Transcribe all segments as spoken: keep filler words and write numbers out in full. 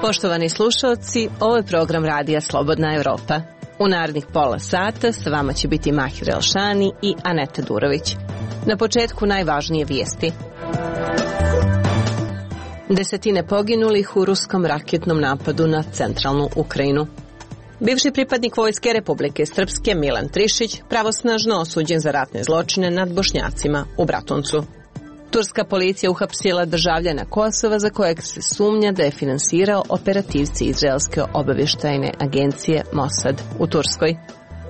Poštovani slušalci, ovo je program Radija Slobodna Evropa. U narednih pola sata s vama će biti Mahir Elšani i Aneta Durović. Na početku najvažnije vijesti. Desetine poginulih u ruskom raketnom napadu na centralnu Ukrajinu. Bivši pripadnik Vojske Republike Srpske Milan Trišić pravosnažno osuđen za ratne zločine nad Bošnjacima u Bratuncu. Turska policija uhapsila državljana Kosova za kojeg se sumnja da je finansirao operativci izraelske obavještajne agencije Mossad u Turskoj.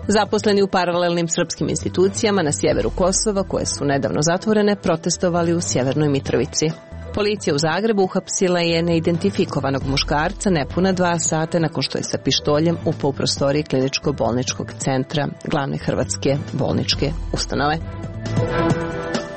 Zaposleni u paralelnim srpskim institucijama na sjeveru Kosova, koje su nedavno zatvorene, protestovali u Sjevernoj Mitrovici. Policija u Zagrebu uhapsila je neidentifikovanog muškarca nepuna dva sata nakon što je sa pištoljem upao u prostoriji kliničko-bolničkog centra glavne hrvatske bolničke ustanove.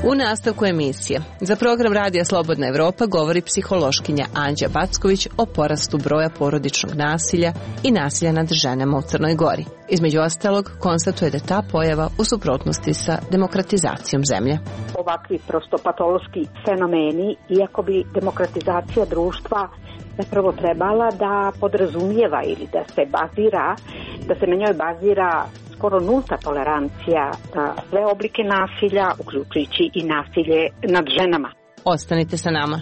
U nastavku emisije za program Radija Slobodna Evropa govori psihološkinja Anđa Backović o porastu broja porodičnog nasilja i nasilja nad ženama u Crnoj Gori. Između ostalog, konstatuje da je ta pojava u suprotnosti sa demokratizacijom zemlje. Ovakvi prosto patološki fenomeni, iako bi demokratizacija društva zapravo trebala da podrazumijeva ili da se bazira, da se na njoj bazira skoro nulta tolerancija na sve oblike nasilja, uključujući i nasilje nad ženama. Ostanite sa nama.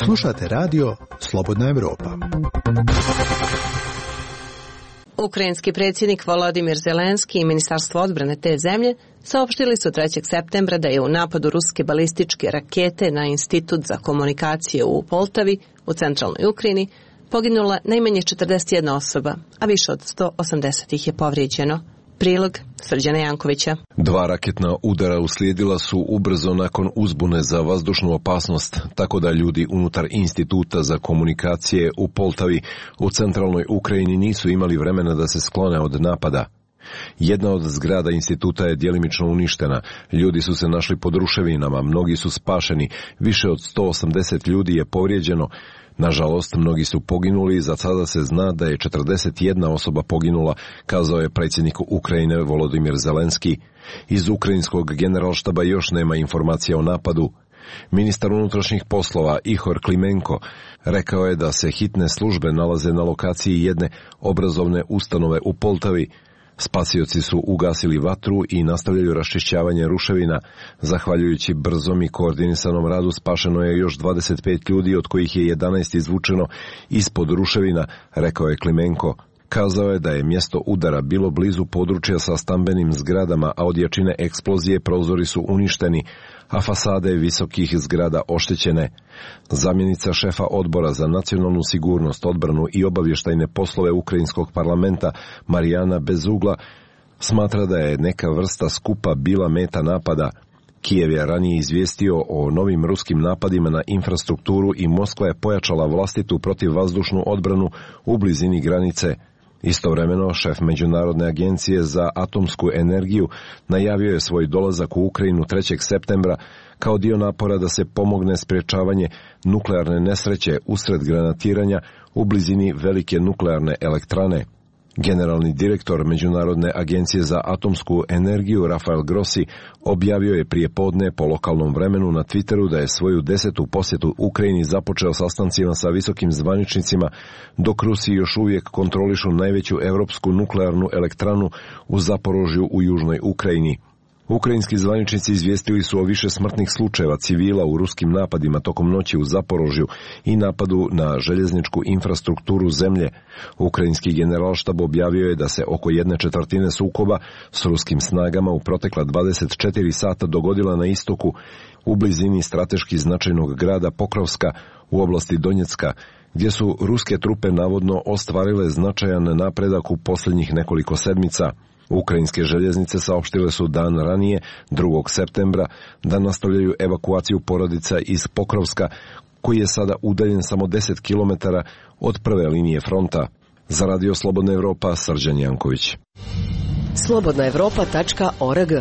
Slušate radio Slobodna Evropa. Ukrajinski predsjednik Volodimir Zelenski i Ministarstvo odbrane te zemlje saopštili su trećeg septembra da je u napadu ruske balističke rakete na Institut za komunikacije u Poltavi u centralnoj Ukrajini poginula najmanje četrdeset jedna osoba, a više od sto osamdeset ih je povrijeđeno. Prilog Srđana Jankovića. Dva raketna udara uslijedila su ubrzo nakon uzbune za vazdušnu opasnost, tako da ljudi unutar Instituta za komunikacije u Poltavi u centralnoj Ukrajini nisu imali vremena da se sklone od napada. Jedna od zgrada instituta je djelimično uništena, ljudi su se našli pod ruševinama, mnogi su spašeni, više od sto osamdeset ljudi je povrijeđeno. Nažalost, mnogi su poginuli i za sada se zna da je četrdeset jedna osoba poginula, kazao je predsjednik Ukrajine Volodimir Zelenski. Iz ukrajinskog generalštaba još nema informacija o napadu. Ministar unutrašnjih poslova Ihor Klimenko rekao je da se hitne službe nalaze na lokaciji jedne obrazovne ustanove u Poltavi. Spasioci su ugasili vatru i nastavljaju raščišćavanje ruševina. Zahvaljujući brzom i koordinisanom radu spašeno je još dvadeset pet ljudi, od kojih je jedanaest izvučeno ispod ruševina, rekao je Klimenko. Kazao je da je mjesto udara bilo blizu područja sa stambenim zgradama, a od jačine eksplozije prozori su uništeni, a fasade visokih zgrada oštećene. Zamjenica šefa odbora za nacionalnu sigurnost, odbranu i obavještajne poslove Ukrajinskog parlamenta Marijana Bezugla smatra da je neka vrsta skupa bila meta napada. Kijev je ranije izvijestio o novim ruskim napadima na infrastrukturu i Moskva je pojačala vlastitu protivvazdušnu odbranu u blizini granice. Istovremeno, šef Međunarodne agencije za atomsku energiju najavio je svoj dolazak u Ukrajinu trećeg septembra kao dio napora da se pomogne sprječavanje nuklearne nesreće usred granatiranja u blizini velike nuklearne elektrane. Generalni direktor Međunarodne agencije za atomsku energiju Rafael Grossi objavio je prije podne po lokalnom vremenu na Twitteru da je svoju desetu posjetu Ukrajini započeo sastancima sa visokim zvaničnicima, dok Rusi još uvijek kontrolišu najveću europsku nuklearnu elektranu u Zaporožju u južnoj Ukrajini. Ukrajinski zvaničnici izvijestili su o više smrtnih slučajeva civila u ruskim napadima tokom noći u Zaporožju i napadu na željezničku infrastrukturu zemlje. Ukrajinski generalštab objavio je da se oko jedne četvrtine sukoba s ruskim snagama u protekla dvadeset četiri sata dogodila na istoku, u blizini strateški značajnog grada Pokrovska u oblasti Donjecka, gdje su ruske trupe navodno ostvarile značajan napredak u posljednjih nekoliko sedmica. Ukrajinske željeznice saopštile su dan ranije, drugog septembra, da nastavljaju evakuaciju porodica iz Pokrovska, koji je sada udaljen samo deset kilometara od prve linije fronta. Za Radio Slobodna Evropa, Srđan Janković. slobodna evropa tačka org.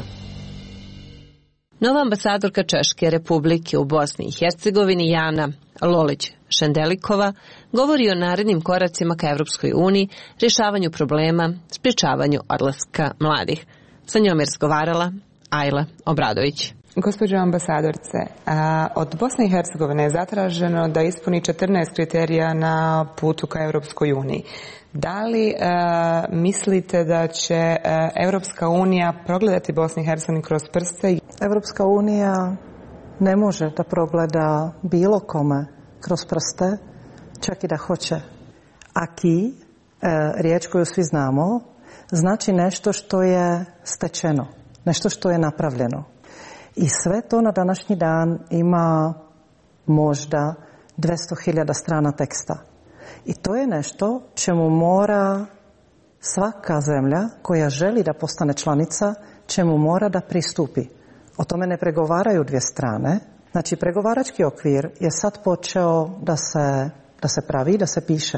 Nova ambasadorka Češke Republike u Bosni i Hercegovini Jana Lolić-Šendelikova govori o narednim koracima ka Evropskoj uniji, rješavanju problema, sprječavanju odlaska mladih. Sa njom je razgovarala Ajla Obradović. Gospođo ambasadorce, od Bosne i Hercegovine je zatraženo da ispuni četrnaest kriterija na putu ka Europskoj uniji. Da li mislite da će Europska unija progledati Bosnu i Hercegovinu kroz prste? Europska unija ne može da progleda bilo kome kroz prste, čak i da hoće. Aki, riječ koju svi znamo, znači nešto što je stečeno, nešto što je napravljeno. I sve to na današnji dan ima možda dvjesto hiljada strana teksta. I to je nešto čemu mora svaka zemlja koja želi da postane članica, čemu mora da pristupi. O tome ne pregovaraju dvije strane. Znači, pregovarački okvir je sad počeo da se, da se pravi, da se piše.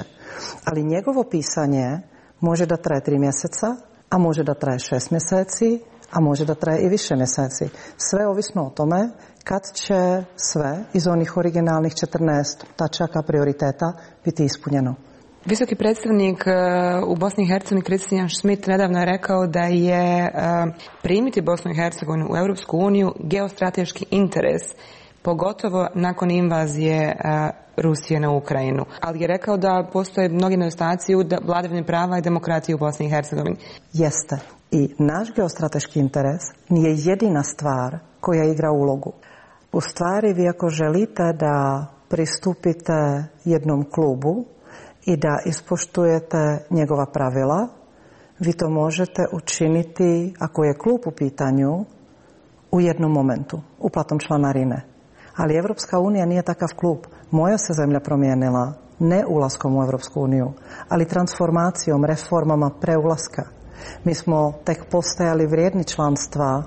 Ali njegovo pisanje može da traje tri mjeseca, a može da traje šest mjeseci, a može da traje i više mjeseci. Sve ovisno o tome kad će sve iz onih originalnih četrnaest tačaka prioriteta biti ispunjeno. Visoki predstavnik u Bosni i Hercegovini Christian Schmidt nedavno je rekao da je primiti Bosnu i Hercegovinu u Europsku uniju geostrateški interes, pogotovo nakon invazije Rusije na Ukrajinu. Ali je rekao da postoje mnogi nedostaci u vladavini prava i demokratiji u Bosni i Hercegovini. Jeste. I naš geostrateški interes nije jedina stvar koja igra ulogu. U stvari, vi ako želite da pristupite jednom klubu i da ispoštujete njegova pravila, vi to možete učiniti, ako je klub u pitanju, u jednom momentu, uplatom članarine. Ali Evropska unija nije takav klub. Moja se zemlja promijenila ne ulaskom u Evropsku uniju, ali transformacijom, reformama preulaska. Mi smo tek postajali vrijedni članstva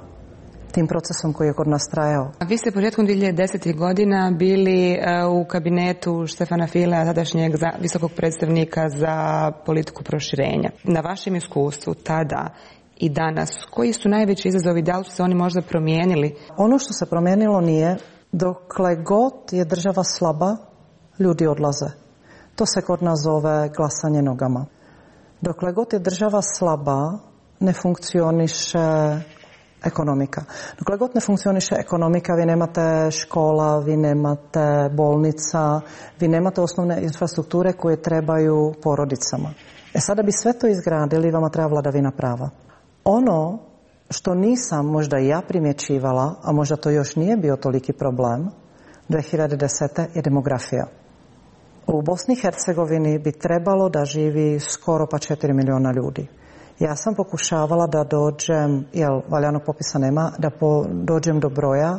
tim procesom koji je kod nas trajao. Vi ste početkom dvije hiljade desetih godina bili u kabinetu Štefana Filea, tadašnjeg visokog predstavnika za politiku proširenja. Na vašem iskustvu tada i danas, koji su najveći izazovi, da li su se oni možda promijenili? Ono što se promijenilo nije, dokle god je država slaba, ljudi odlaze. To se kod nas zove glasanje nogama. Dokle god je država slaba, ne funkcioniše ekonomika. Dokle god ne funkcioniše ekonomika, vi nemate škola, vi nemate bolnica, vi nemate osnovne infrastrukture koje trebaju porodicama. E sada bi sve to izgradili, vama treba vladavina prava. Ono što nisam možda i ja primjećivala, a možda to još nije bio toliki problem, dvije hiljade desete je demografija. U Bosni i Hercegovini bi trebalo da živi skoro pa četiri milijuna ljudi. Ja sam pokušavala da dođem, jer valjanog popisa nema, da po, dođem do broja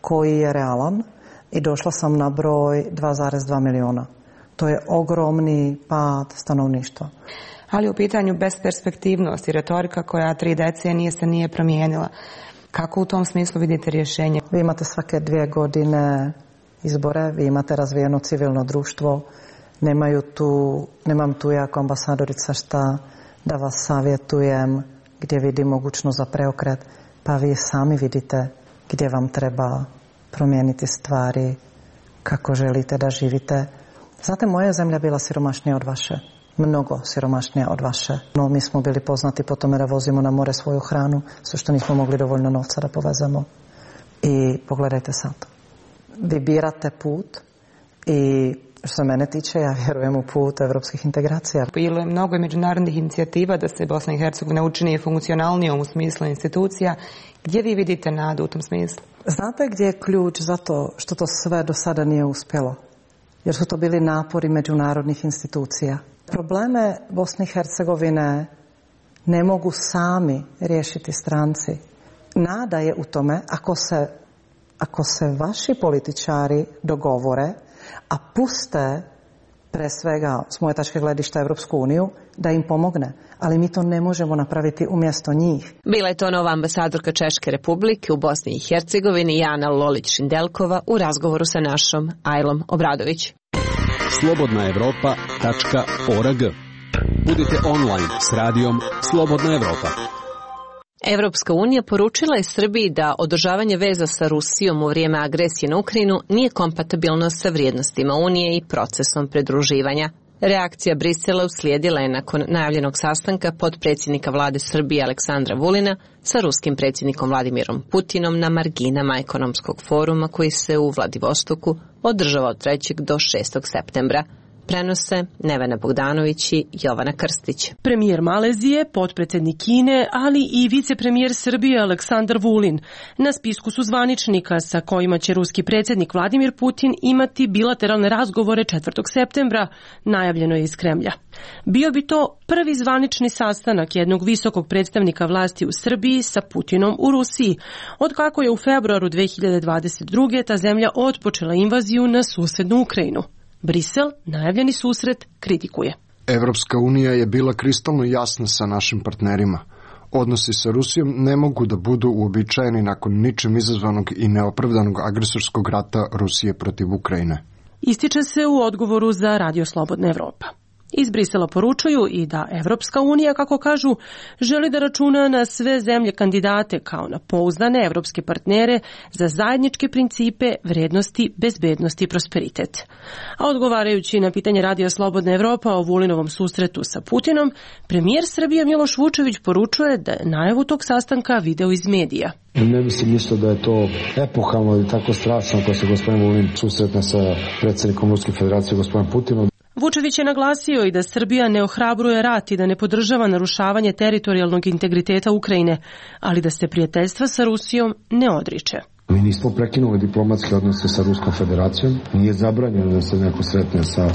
koji je realan i došla sam na broj dva zarez dva milijuna. To je ogromni pad stanovništva. Ali u pitanju besperspektivnosti, retorika koja tri decenije se nije promijenila. Kako u tom smislu vidite rješenje? Vi imate svake dvije godine izbore, vi imate razvijeno civilno društvo, nemaju tu, nemam tu jako ambasadorica šta da vas savjetujem gdje vidim mogućnost za preokret, pa vi sami vidite gdje vam treba promijeniti stvari, kako želite da živite. Znate, moja zemlja bila siromašnija od vaše, mnogo siromašnija od vaše. No, mi smo bili poznati po tome da vozimo na more svoju hranu, sve što nismo mogli dovoljno novca da povezemo. I pogledajte sad. Vi birate put i što se mene tiče, ja vjerujem u put evropskih integracija. Bilo je mnogo međunarodnih inicijativa da se Bosna i Hercegovina učini funkcionalnijom u smislu institucija. Gdje vi vidite nadu u tom smislu? Znate gdje je ključ za to što to sve do sada nije uspjelo? Jer su to bili napori međunarodnih institucija. Probleme Bosne i Hercegovine ne mogu sami riješiti stranci. Nada je u tome ako se, ako se vaši političari dogovore, a puste pre svega s moje tačke gledišta Evropsku uniju, da im pomogne. Ali mi to ne možemo napraviti umjesto njih. Bila je to nova ambasadorka Češke republike u Bosni i Hercegovini Jana Lolić-Šindelkova u razgovoru sa našom Ajlom Obradović. slobodna evropa tačka org. Budite online s radijom Slobodna Evropa. Evropska unija poručila je Srbiji da održavanje veza sa Rusijom u vrijeme agresije na Ukrajinu nije kompatibilno sa vrijednostima Unije i procesom pridruživanja. Reakcija Brisela uslijedila je nakon najavljenog sastanka potpredsjednika vlade Srbije Aleksandra Vulina sa ruskim predsjednikom Vladimirom Putinom na marginama ekonomskog foruma koji se u Vladivostoku održava od trećeg do šestog septembra. Prenose Nevena Bogdanović i Jovana Krstić. Premijer Malezije, potpredsjednik Kine, ali i vicepremijer Srbije Aleksandar Vulin na spisku su zvaničnika sa kojima će ruski predsjednik Vladimir Putin imati bilateralne razgovore četvrtog septembra, najavljeno je iz Kremlja. Bio bi to prvi zvanični sastanak jednog visokog predstavnika vlasti u Srbiji sa Putinom u Rusiji, od kako je u februaru dve hiljade dvadeset druge ta zemlja otpočela invaziju na susednu Ukrajinu. Brisel najavljeni susret kritikuje. Evropska unija je bila kristalno jasna sa našim partnerima. Odnosi sa Rusijom ne mogu da budu uobičajeni nakon ničim izazvanog i neopravdanog agresorskog rata Rusije protiv Ukrajine. Ističe se u odgovoru za Radio Slobodna Evropa. Iz Brisela poručuju i da Evropska unija, kako kažu, želi da računa na sve zemlje kandidate kao na pouzdane evropske partnere za zajedničke principe, vrednosti, bezbednosti i prosperitet. A odgovarajući na pitanje Radio Slobodna Evropa o Vulinovom susretu sa Putinom, premijer Srbije Miloš Vučević poručuje da je najavu tog sastanka video iz medija. Ne mislim ništa da je to epohalno ili tako strašno ako se gospodin Vulin susretne sa predsjednikom Ruske federacije gospodinom Putinom. Vučević je naglasio i da Srbija ne ohrabruje rat i da ne podržava narušavanje teritorijalnog integriteta Ukrajine, ali da se prijateljstva sa Rusijom ne odriče. Mi nismo prekinuli diplomatske odnose sa Ruskom federacijom, nije zabranjeno da se neko sretne sa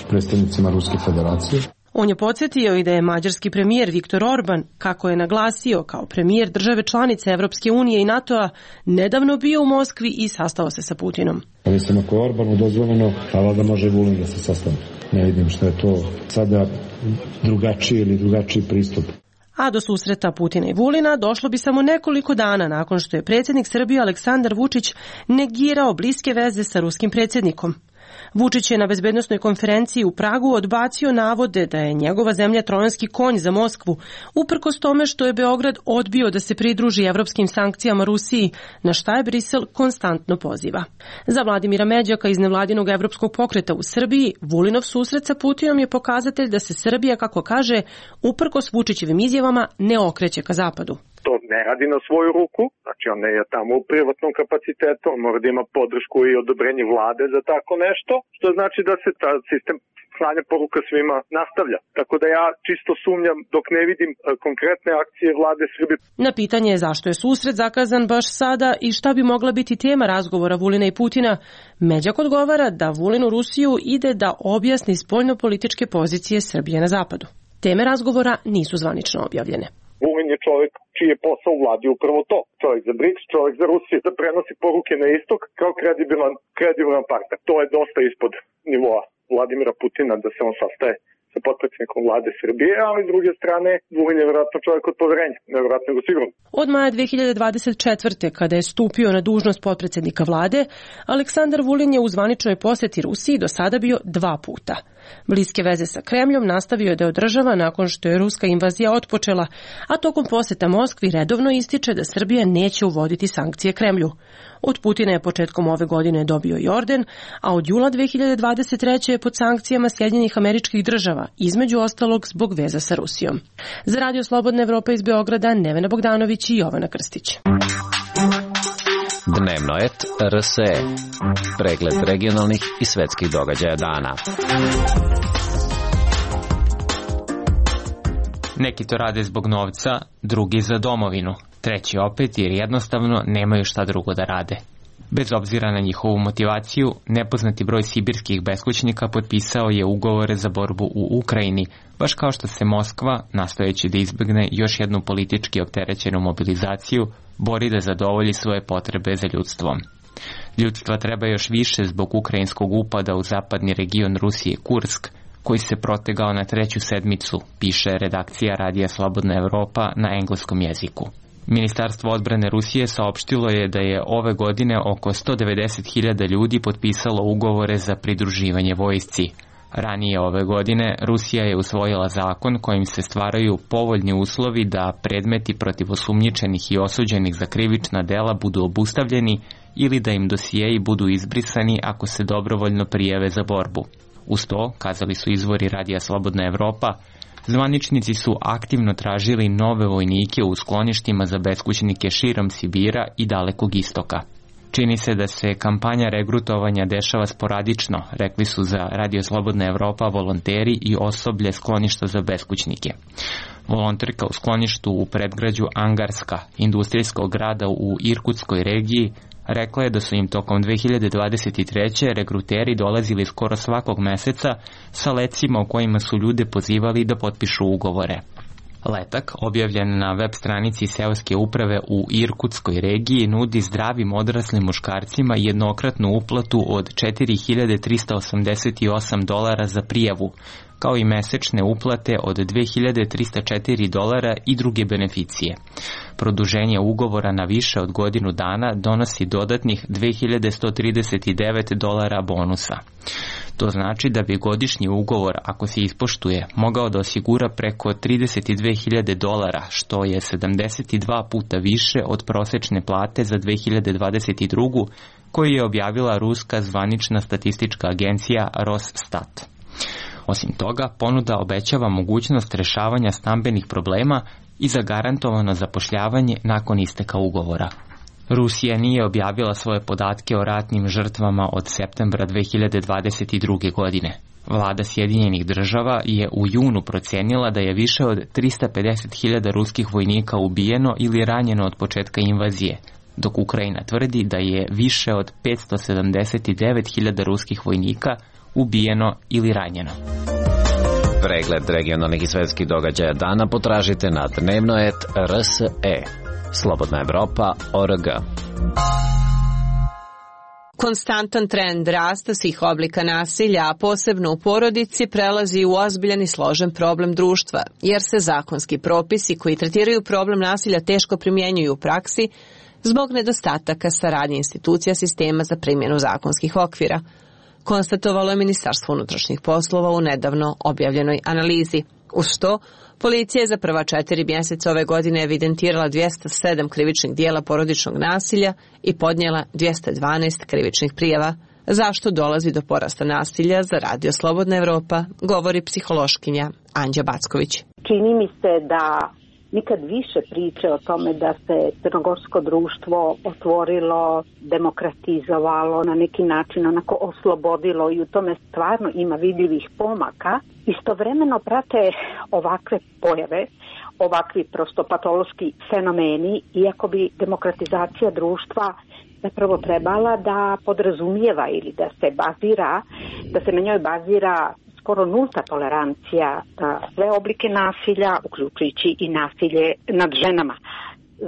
predstavnicima Ruske federacije. On je podsjetio i da je mađarski premijer Viktor Orban, kako je naglasio kao premijer države članice Evropske unije i NATO-a, nedavno bio u Moskvi i sastao se sa Putinom. Mislim, ako je Orbanu dozvoljeno, pa valjda može i Vulin da se sastane. Ne vidim što je to sada drugačiji ili drugačiji pristup. A do susreta Putina i Vulina došlo bi samo nekoliko dana nakon što je predsjednik Srbije Aleksandar Vučić negirao bliske veze sa ruskim predsjednikom. Vučić je na bezbednosnoj konferenciji u Pragu odbacio navode da je njegova zemlja trojanski konj za Moskvu, uprkos tome što je Beograd odbio da se pridruži evropskim sankcijama Rusiji, na šta je Brisel konstantno poziva. Za Vladimira Međaka iz nevladinog evropskog pokreta u Srbiji, Vulinov susret sa Putinom je pokazatelj da se Srbija, kako kaže, uprkos Vučićevim izjavama ne okreće ka zapadu. To ne radi na svoju ruku, znači on ne je tamo u privatnom kapacitetu, on mora da ima podršku i odobrenje vlade za tako nešto, što znači da se ta sistem slanja poruka svima nastavlja. Tako da ja čisto sumnjam dok ne vidim konkretne akcije vlade Srbije. Na pitanje je zašto je susret zakazan baš sada i šta bi mogla biti tema razgovora Vulina i Putina, Međak odgovara da Vulin u Rusiju ide da objasni spoljnopolitičke pozicije Srbije na zapadu. Teme razgovora nisu zvanično objavljene. Vulin je čovjek čiji je posao u vladi upravo to. Čovjek za BRICS, čovjek za Rusiju, da prenosi poruke na istok kao kredibilan, kredibilan partner. To je dosta ispod nivoa Vladimira Putina da se on sastaje sa potpredsjednikom vlade Srbije, ali s druge strane Vulin je vjerojatno čovjek od poverenja, nevjerojatno nego sigurno. Od maja dve hiljade dvadeset četvrte. kada je stupio na dužnost potpredsjednika vlade, Aleksandar Vulin je u zvaničnoj posjeti Rusiji do sada bio dva puta. Bliske veze sa Kremljom nastavio je da održava nakon što je ruska invazija otpočela, a tokom posjeta Moskvi redovno ističe da Srbija neće uvoditi sankcije Kremlju. Od Putina je početkom ove godine dobio i orden, a od jula dve hiljade dvadeset treće. je pod sankcijama Sjedinjenih Američkih Država, između ostalog zbog veza sa Rusijom. Za Radio Slobodna Evropa iz Beograda, Nevena Bogdanović i Jovana Krstić. Dnevnoet R S E. Pregled regionalnih i svetskih događaja dana. Neki to rade zbog novca, drugi za domovinu, treći opet jer jednostavno nemaju šta drugo da rade. Bez obzira na njihovu motivaciju, nepoznati broj sibirskih beskućnika potpisao je ugovore za borbu u Ukrajini, baš kao što se Moskva, nastojeći da izbegne još jednu politički opterećenu mobilizaciju, bori da zadovolji svoje potrebe za ljudstvom. Ljudstva treba još više zbog ukrajinskog upada u zapadni region Rusije Kursk, koji se protegao na treću sedmicu, piše redakcija Radija Slobodna Evropa na engleskom jeziku. Ministarstvo odbrane Rusije saopštilo je da je ove godine oko sto devedeset hiljada ljudi potpisalo ugovore za pridruživanje vojsci. Ranije ove godine Rusija je usvojila zakon kojim se stvaraju povoljni uslovi da predmeti protiv osumnjičenih i osuđenih za krivična dela budu obustavljeni ili da im dosijeji budu izbrisani ako se dobrovoljno prijave za borbu. Uz to, kazali su izvori Radija Slobodna Evropa, zvaničnici su aktivno tražili nove vojnike u skloništima za beskućnike širom Sibira i Dalekog istoka. Čini se da se kampanja regrutovanja dešava sporadično, rekli su za Radio Slobodna Evropa volonteri i osoblje skloništa za beskućnike. Volonterka u skloništu u predgrađu Angarska, industrijskog grada u Irkutskoj regiji, rekla je da su im tokom dve hiljade dvadeset treće regruteri dolazili skoro svakog meseca sa lecima u kojima su ljude pozivali da potpišu ugovore. Letak, objavljen na web stranici seoske uprave u Irkutskoj regiji, nudi zdravim odraslim muškarcima jednokratnu uplatu od četiri hiljade trista osamdeset osam dolara za prijavu, kao i mesečne uplate od dve hiljade trista četiri dolara i druge beneficije. Produženje ugovora na više od godinu dana donosi dodatnih dve hiljade sto trideset devet dolara bonusa. To znači da bi godišnji ugovor, ako se ispoštuje, mogao da osigura preko trideset dve hiljade dolara, što je sedamdeset dva puta više od prosečne plate za dve hiljade dvadeset drugu. koju je objavila ruska zvanična statistička agencija Rosstat. Osim toga, ponuda obećava mogućnost rešavanja stambenih problema i zagarantovano zapošljavanje nakon isteka ugovora. Rusija nije objavila svoje podatke o ratnim žrtvama od septembra dve hiljade dvadeset druge. godine. Vlada Sjedinjenih država je u junu procenila da je više od trista pedeset hiljada ruskih vojnika ubijeno ili ranjeno od početka invazije, dok Ukrajina tvrdi da je više od petsto sedamdeset devet hiljada ruskih vojnika ubijeno ili ranjeno. Pregled regionalnih i svetskih događaja dana potražite na dnevnoet R S E. Slobodna Evropa O R G. Konstantan trend rasta svih oblika nasilja, a posebno u porodici, prelazi u ozbiljan i složen problem društva, jer se zakonski propisi koji tretiraju problem nasilja teško primjenjuju u praksi zbog nedostataka saradnje institucija sistema za primjenu zakonskih okvira, konstatovalo je Ministarstvo unutrašnjih poslova u nedavno objavljenoj analizi. Uz to, policija je za prva četiri mjeseca ove godine evidentirala dvjesto sedam krivičnih dijela porodičnog nasilja i podnijela dvjesto dvanaest krivičnih prijava. Zašto dolazi do porasta nasilja, za Radio Slobodna Evropa govori psihološkinja Anđa Backović. Čini mi se da nikad više priče o tome da se crnogorsko društvo otvorilo, demokratizovalo, na neki način onako oslobodilo i u tome stvarno ima vidljivih pomaka. Istovremeno prate ovakve pojave, ovakvi prosto patološki fenomeni, iako bi demokratizacija društva zapravo trebala da podrazumijeva ili da se bazira, da se na njoj bazira skoro nulta tolerancija na sve oblike nasilja, uključujući i nasilje nad ženama.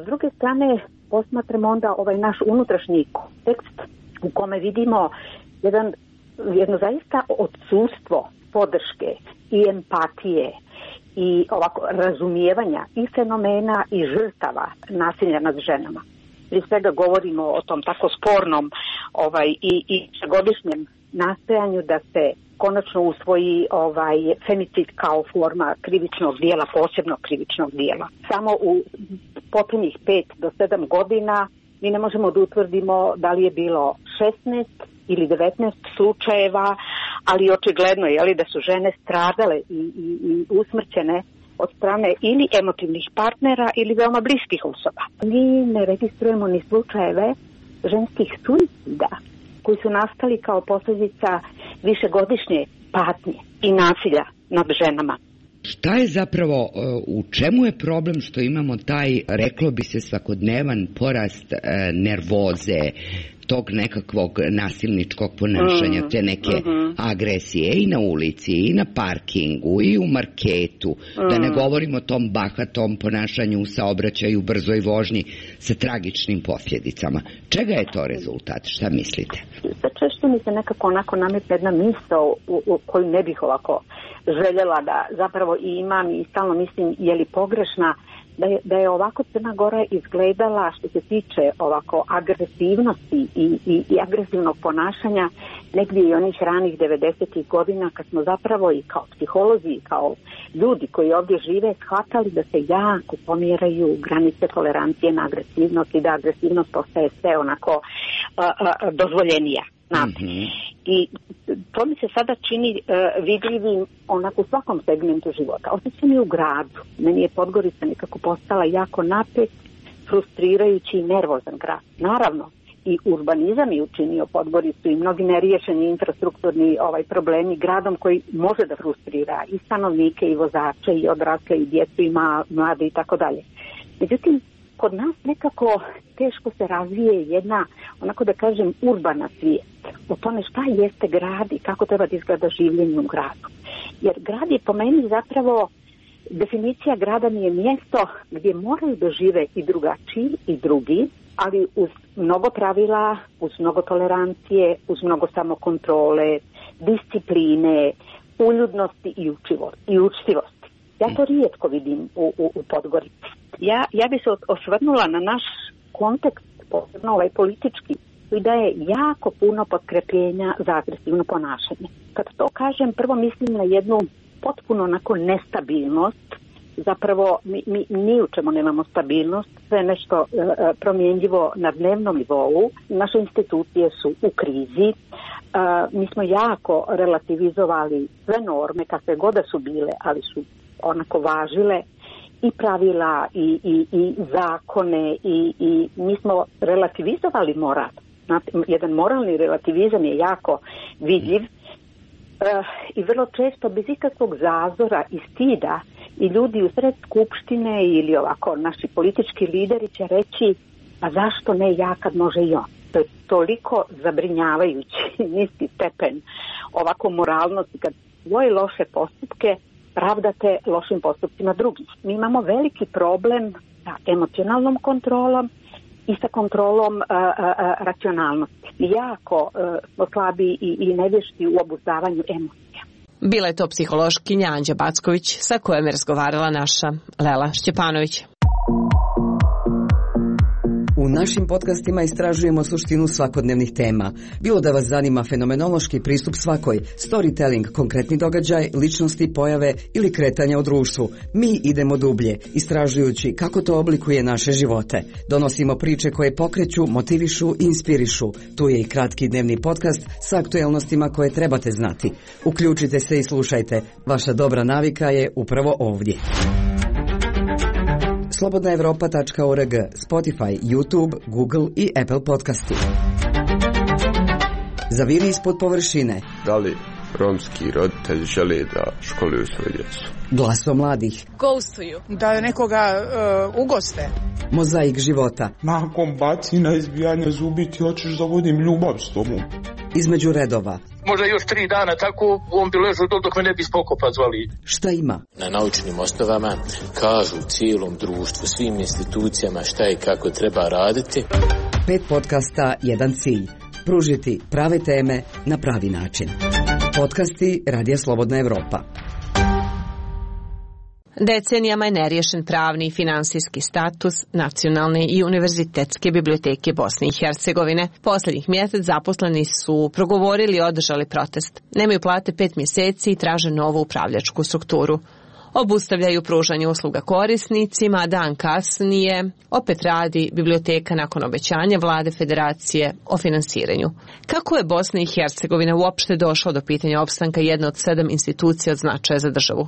S druge strane, posmatramo onda ovaj naš unutrašnji kontekst u kome vidimo jedan, jedno zaista odsustvo podrške i empatije i ovako razumijevanja i fenomena i žrtava nasilja nad ženama. Prije svega govorimo o tom tako spornom ovaj, i, i godišnjem nastojanju da se konačno usvoji ovaj femicid kao forma krivičnog dijela, posebno krivičnog dijela. Samo u posljednjih pet do sedam godina mi ne možemo da utvrdimo da li je bilo šesnaest ili devetnaest slučajeva, ali očigledno je li da su žene stradale i, i, i usmrćene od strane ili emotivnih partnera ili veoma bliskih osoba. Mi ne registrujemo ni slučajeve ženskih suicida koji su nastali kao posljedica višegodišnje patnje i nasilja nad ženama. Šta je zapravo, u čemu je problem što imamo taj, reklo bi se, svakodnevan porast nervoze, tog nekakvog nasilničkog ponašanja, mm, te neke mm-hmm. agresije i na ulici, i na parkingu, i u marketu, mm. da ne govorimo o tom bahatom ponašanju u saobraćaju, brzoj vožnji sa tragičnim posljedicama. Čega je to rezultat? Šta mislite? Sve češće mi se nekako onako nametne jedna misao u, u koju ne bih ovako željela da zapravo i imam i stalno mislim je li pogrešna, da je, da je ovako Crna Gora izgledala što se tiče ovako agresivnosti i, i, i agresivnog ponašanja negdje i onih ranih devedesetih godina kad smo zapravo i kao psiholozi i kao ljudi koji ovdje žive shvatali da se jako pomjeraju granice tolerancije na agresivnost i da agresivnost postaje sve onako a, a, dozvoljenija. Mm-hmm. I to mi se sada čini uh, vidljivim onako u svakom segmentu života. Osjećam i u gradu. Meni je Podgorica nekako postala jako napet, frustrirajući i nervozan grad. Naravno, i urbanizam je učinio Podgoricu i mnogi neriješeni infrastrukturni ovaj problemi gradom koji može da frustrira i stanovnike i vozače i odrasle i djecu i mlade i tako dalje. Međutim, kod nas nekako teško se razvije jedna, onako da kažem, urbana svijest o tome šta jeste grad i kako treba da izgleda življenje u gradu. Jer grad je po meni zapravo, definicija grada mi je mjesto gdje moraju da žive i drugačiji i drugi, ali uz mnogo pravila, uz mnogo tolerancije, uz mnogo samokontrole, discipline, uljudnosti i, učivo, i učtivosti. Ja to rijetko vidim u, u, u Podgorici. Ja, ja bi se osvrnula na naš kontekst, posebno ovaj politički, i da je jako puno potkrepljenja za agresivno ponašanje. Kad to kažem, prvo mislim na jednu potpuno onako nestabilnost. Zapravo mi, mi ni u čemu nemamo stabilnost, sve nešto e, promjenjivo na dnevnom nivou. Naše institucije su u krizi. E, mi smo jako relativizovali sve norme, kakve god da su bile, ali su onako važile i pravila i, i, i zakone i, i mi smo relativizovali moral. Znate, jedan moralni relativizam je jako vidljiv e, i vrlo često bez ikakvog zazora i stida i ljudi u sred skupštine ili ovako naši politički lideri će reći, a zašto ne ja kad može i on. To je toliko zabrinjavajući niski stepen ovako moralnosti kad svoje loše postupke pravdate lošim postupcima drugih. Mi imamo veliki problem sa emocionalnom kontrolom i sa kontrolom uh, uh, racionalnosti. Jako smo uh, slabi i, i nevješti u obuzdavanju emocija. Bila je to psihološkinja Anđa Backović sa kojom je razgovarala naša Lela Šćepanović. U našim podcastima istražujemo suštinu svakodnevnih tema. Bilo da vas zanima fenomenološki pristup svakoj, storytelling, konkretni događaj, ličnosti, pojave ili kretanja u društvu. Mi idemo dublje, istražujući kako to oblikuje naše živote. Donosimo priče koje pokreću, motivišu i inspirišu. Tu je i kratki dnevni podcast sa aktuelnostima koje trebate znati. Uključite se i slušajte. Vaša dobra navika je upravo ovdje. slobodna evropa tačka org, Spotify, YouTube, Google i Apple podcasti. Zaviri ispod površine. Da li romski roditelji žele da školuju svoje djecu? Glaso mladih. Ghostuju. Da nekoga uh, ugoste. Mozaik života. Nakon bacina izbijanja zubi ti hoćeš da vodim ljubav s tobom. Između redova. Možda još tri dana tako on bi ležao dok me ne bi spokopa zvali. Šta ima? Na naučnim osnovama kažu cijelom društvu, svim institucijama šta i kako treba raditi. Pet podcasta, jedan cilj. Pružiti prave teme na pravi način. Podcasti Radija Slobodna Evropa. Decenijama je neriješen pravni i finansijski status Nacionalne i univerzitetske biblioteke Bosne i Hercegovine. Posljednjih mjesec zaposleni su progovorili i održali protest. Nemaju plate pet mjeseci i traže novu upravljačku strukturu. Obustavljaju pružanje usluga korisnicima, a dan kasnije opet radi biblioteka nakon obećanja vlade federacije o finansiranju. Kako je Bosna i Hercegovina uopšte došla do pitanja opstanka jedne od sedam institucija od značaja za državu?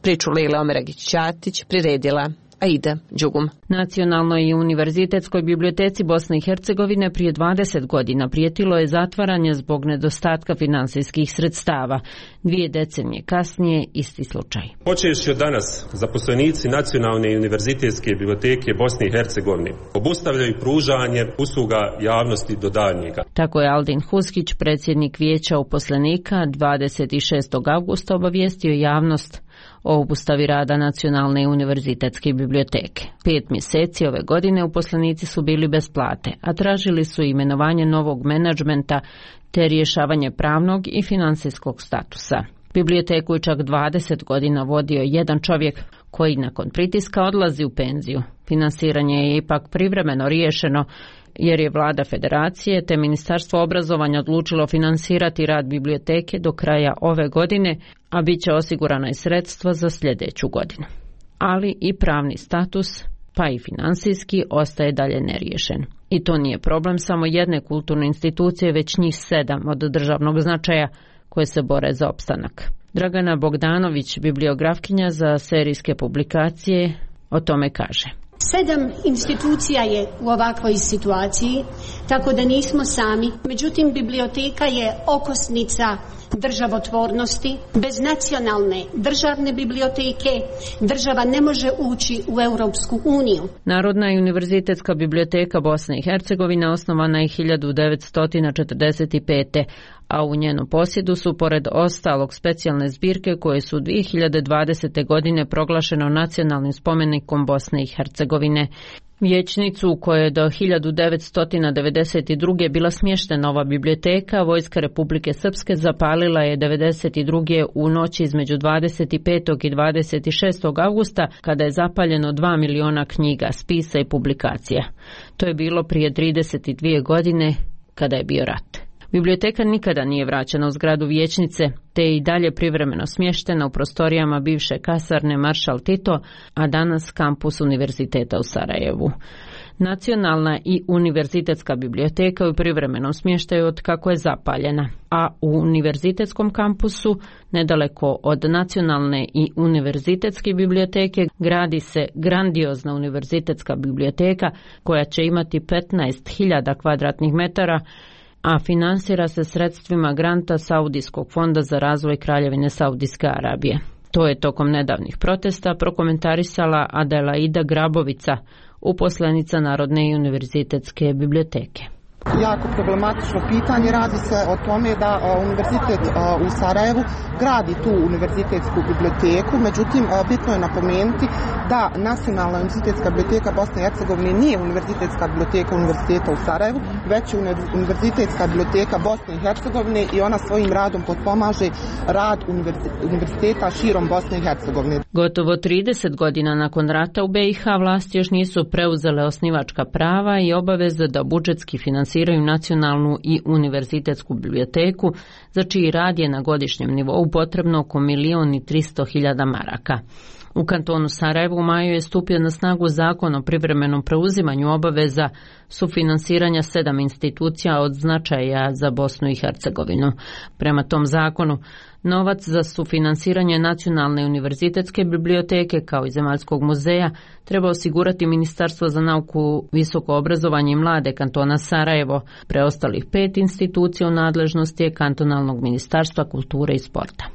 Priču Lile Omeragić-Ćatić priredila Aida Đugum. Nacionalnoj i univerzitetskoj biblioteci Bosne i Hercegovine prije dvadeset godina prijetilo je zatvaranje zbog nedostatka finansijskih sredstava. Dvije decenije kasnije isti slučaj. Počevši od danas, zaposlenici Nacionalne i univerzitetske biblioteke Bosne i Hercegovine obustavljaju pružanje usluga javnosti do daljnjega. Tako je Aldin Huskić, predsjednik vijeća uposlenika, dvadeset šestog avgusta obavijestio javnost o obustavi rada Nacionalne i univerzitetske biblioteke. Pet mjeseci ove godine uposlenici su bili bez plate, a tražili su imenovanje novog menadžmenta te rješavanje pravnog i financijskog statusa. Biblioteku je čak dvadeset godina vodio jedan čovjek koji nakon pritiska odlazi u penziju. Finansiranje je ipak privremeno riješeno jer je vlada federacije te Ministarstvo obrazovanja odlučilo finansirati rad biblioteke do kraja ove godine, a bit će osigurana i sredstva za sljedeću godinu. Ali i pravni status, pa i financijski, ostaje dalje neriješen. I to nije problem samo jedne kulturne institucije, već njih sedam od državnog značaja koje se bore za opstanak. Dragana Bogdanović, bibliografkinja za serijske publikacije, o tome kaže. Sedam institucija je u ovakvoj situaciji, tako da nismo sami. Međutim, biblioteka je okosnica državotvornosti. Bez nacionalne državne biblioteke država ne može ući u Europsku uniju. Narodna i univerzitetska biblioteka Bosne i Hercegovine osnovana je hiljadu devetsto četrdeset pete. a u njenom posjedu su pored ostalog specijalne zbirke koje su dvije hiljade dvadesete. godine proglašeno nacionalnim spomenikom Bosne i Hercegovine. Vijećnicu u kojoj je do hiljadu devetsto devedeset druge. bila smještena ova biblioteka, Vojska Republike Srpske zapalila je devedeset druge. u noći između dvadeset petog i dvadeset šestog avgusta, kada je zapaljeno dva miliona knjiga, spisa i publikacija. To je bilo prije trideset dvije godine, kada je bio rat. Biblioteka nikada nije vraćena u zgradu vijećnice, te je i dalje privremeno smještena u prostorijama bivše kasarne Maršal Tito, a danas kampus Univerziteta u Sarajevu. Nacionalna i univerzitetska biblioteka u privremenom smještaju od kako je zapaljena, a u univerzitetskom kampusu, nedaleko od nacionalne i univerzitetske biblioteke, gradi se grandiozna univerzitetska biblioteka koja će imati petnaest hiljada kvadratnih metara, a finansira se sredstvima granta Saudijskog fonda za razvoj Kraljevine Saudijske Arabije. To je tokom nedavnih protesta prokomentarisala Adelaida Grabovica, uposlenica Narodne i univerzitetske biblioteke. Jako problematično pitanje. Radi se o tome da univerzitet u Sarajevu gradi tu univerzitetsku biblioteku, međutim bitno je napomenuti da Nacionalna univerzitetska biblioteka Bosne i Hercegovine nije univerzitetska biblioteka Univerziteta u Sarajevu, već je univerzitetska biblioteka Bosne i Hercegovine i ona svojim radom potpomaže rad univerziteta širom Bosne i Hercegovine. Gotovo trideset godina nakon rata u B i H vlasti još nisu preuzele osnivačka prava i obaveze da budžetski finansiraju nacionalnu i univerzitetsku biblioteku, za čiji rad je na godišnjem nivou potrebno oko milion i tristo hiljada maraka. U kantonu Sarajevu u maju je stupio na snagu zakon o privremenom preuzimanju obaveza sufinansiranja sedam institucija od značaja za Bosnu i Hercegovinu. Prema tom zakonu, novac za sufinansiranje Nacionalne univerzitetske biblioteke kao i Zemaljskog muzeja treba osigurati Ministarstvo za nauku, visoko obrazovanje i mlade kantona Sarajevo. Preostalih pet institucija u nadležnosti je kantonalnog Ministarstva kulture i sporta.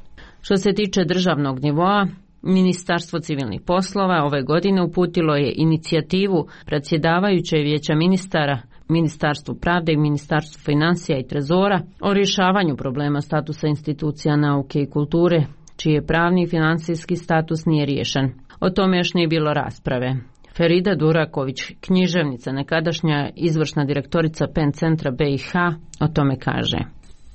Što se tiče državnog nivoa, Ministarstvo civilnih poslova ove godine uputilo je inicijativu predsjedavajuće vijeća ministara, Ministarstvu pravde i Ministarstvu financija i trezora o rješavanju problema statusa institucija nauke i kulture, čiji je pravni i financijski status nije riješen. O tome još nije bilo rasprave. Ferida Duraković, književnica, nekadašnja izvršna direktorica Pen centra B i H, o tome kaže.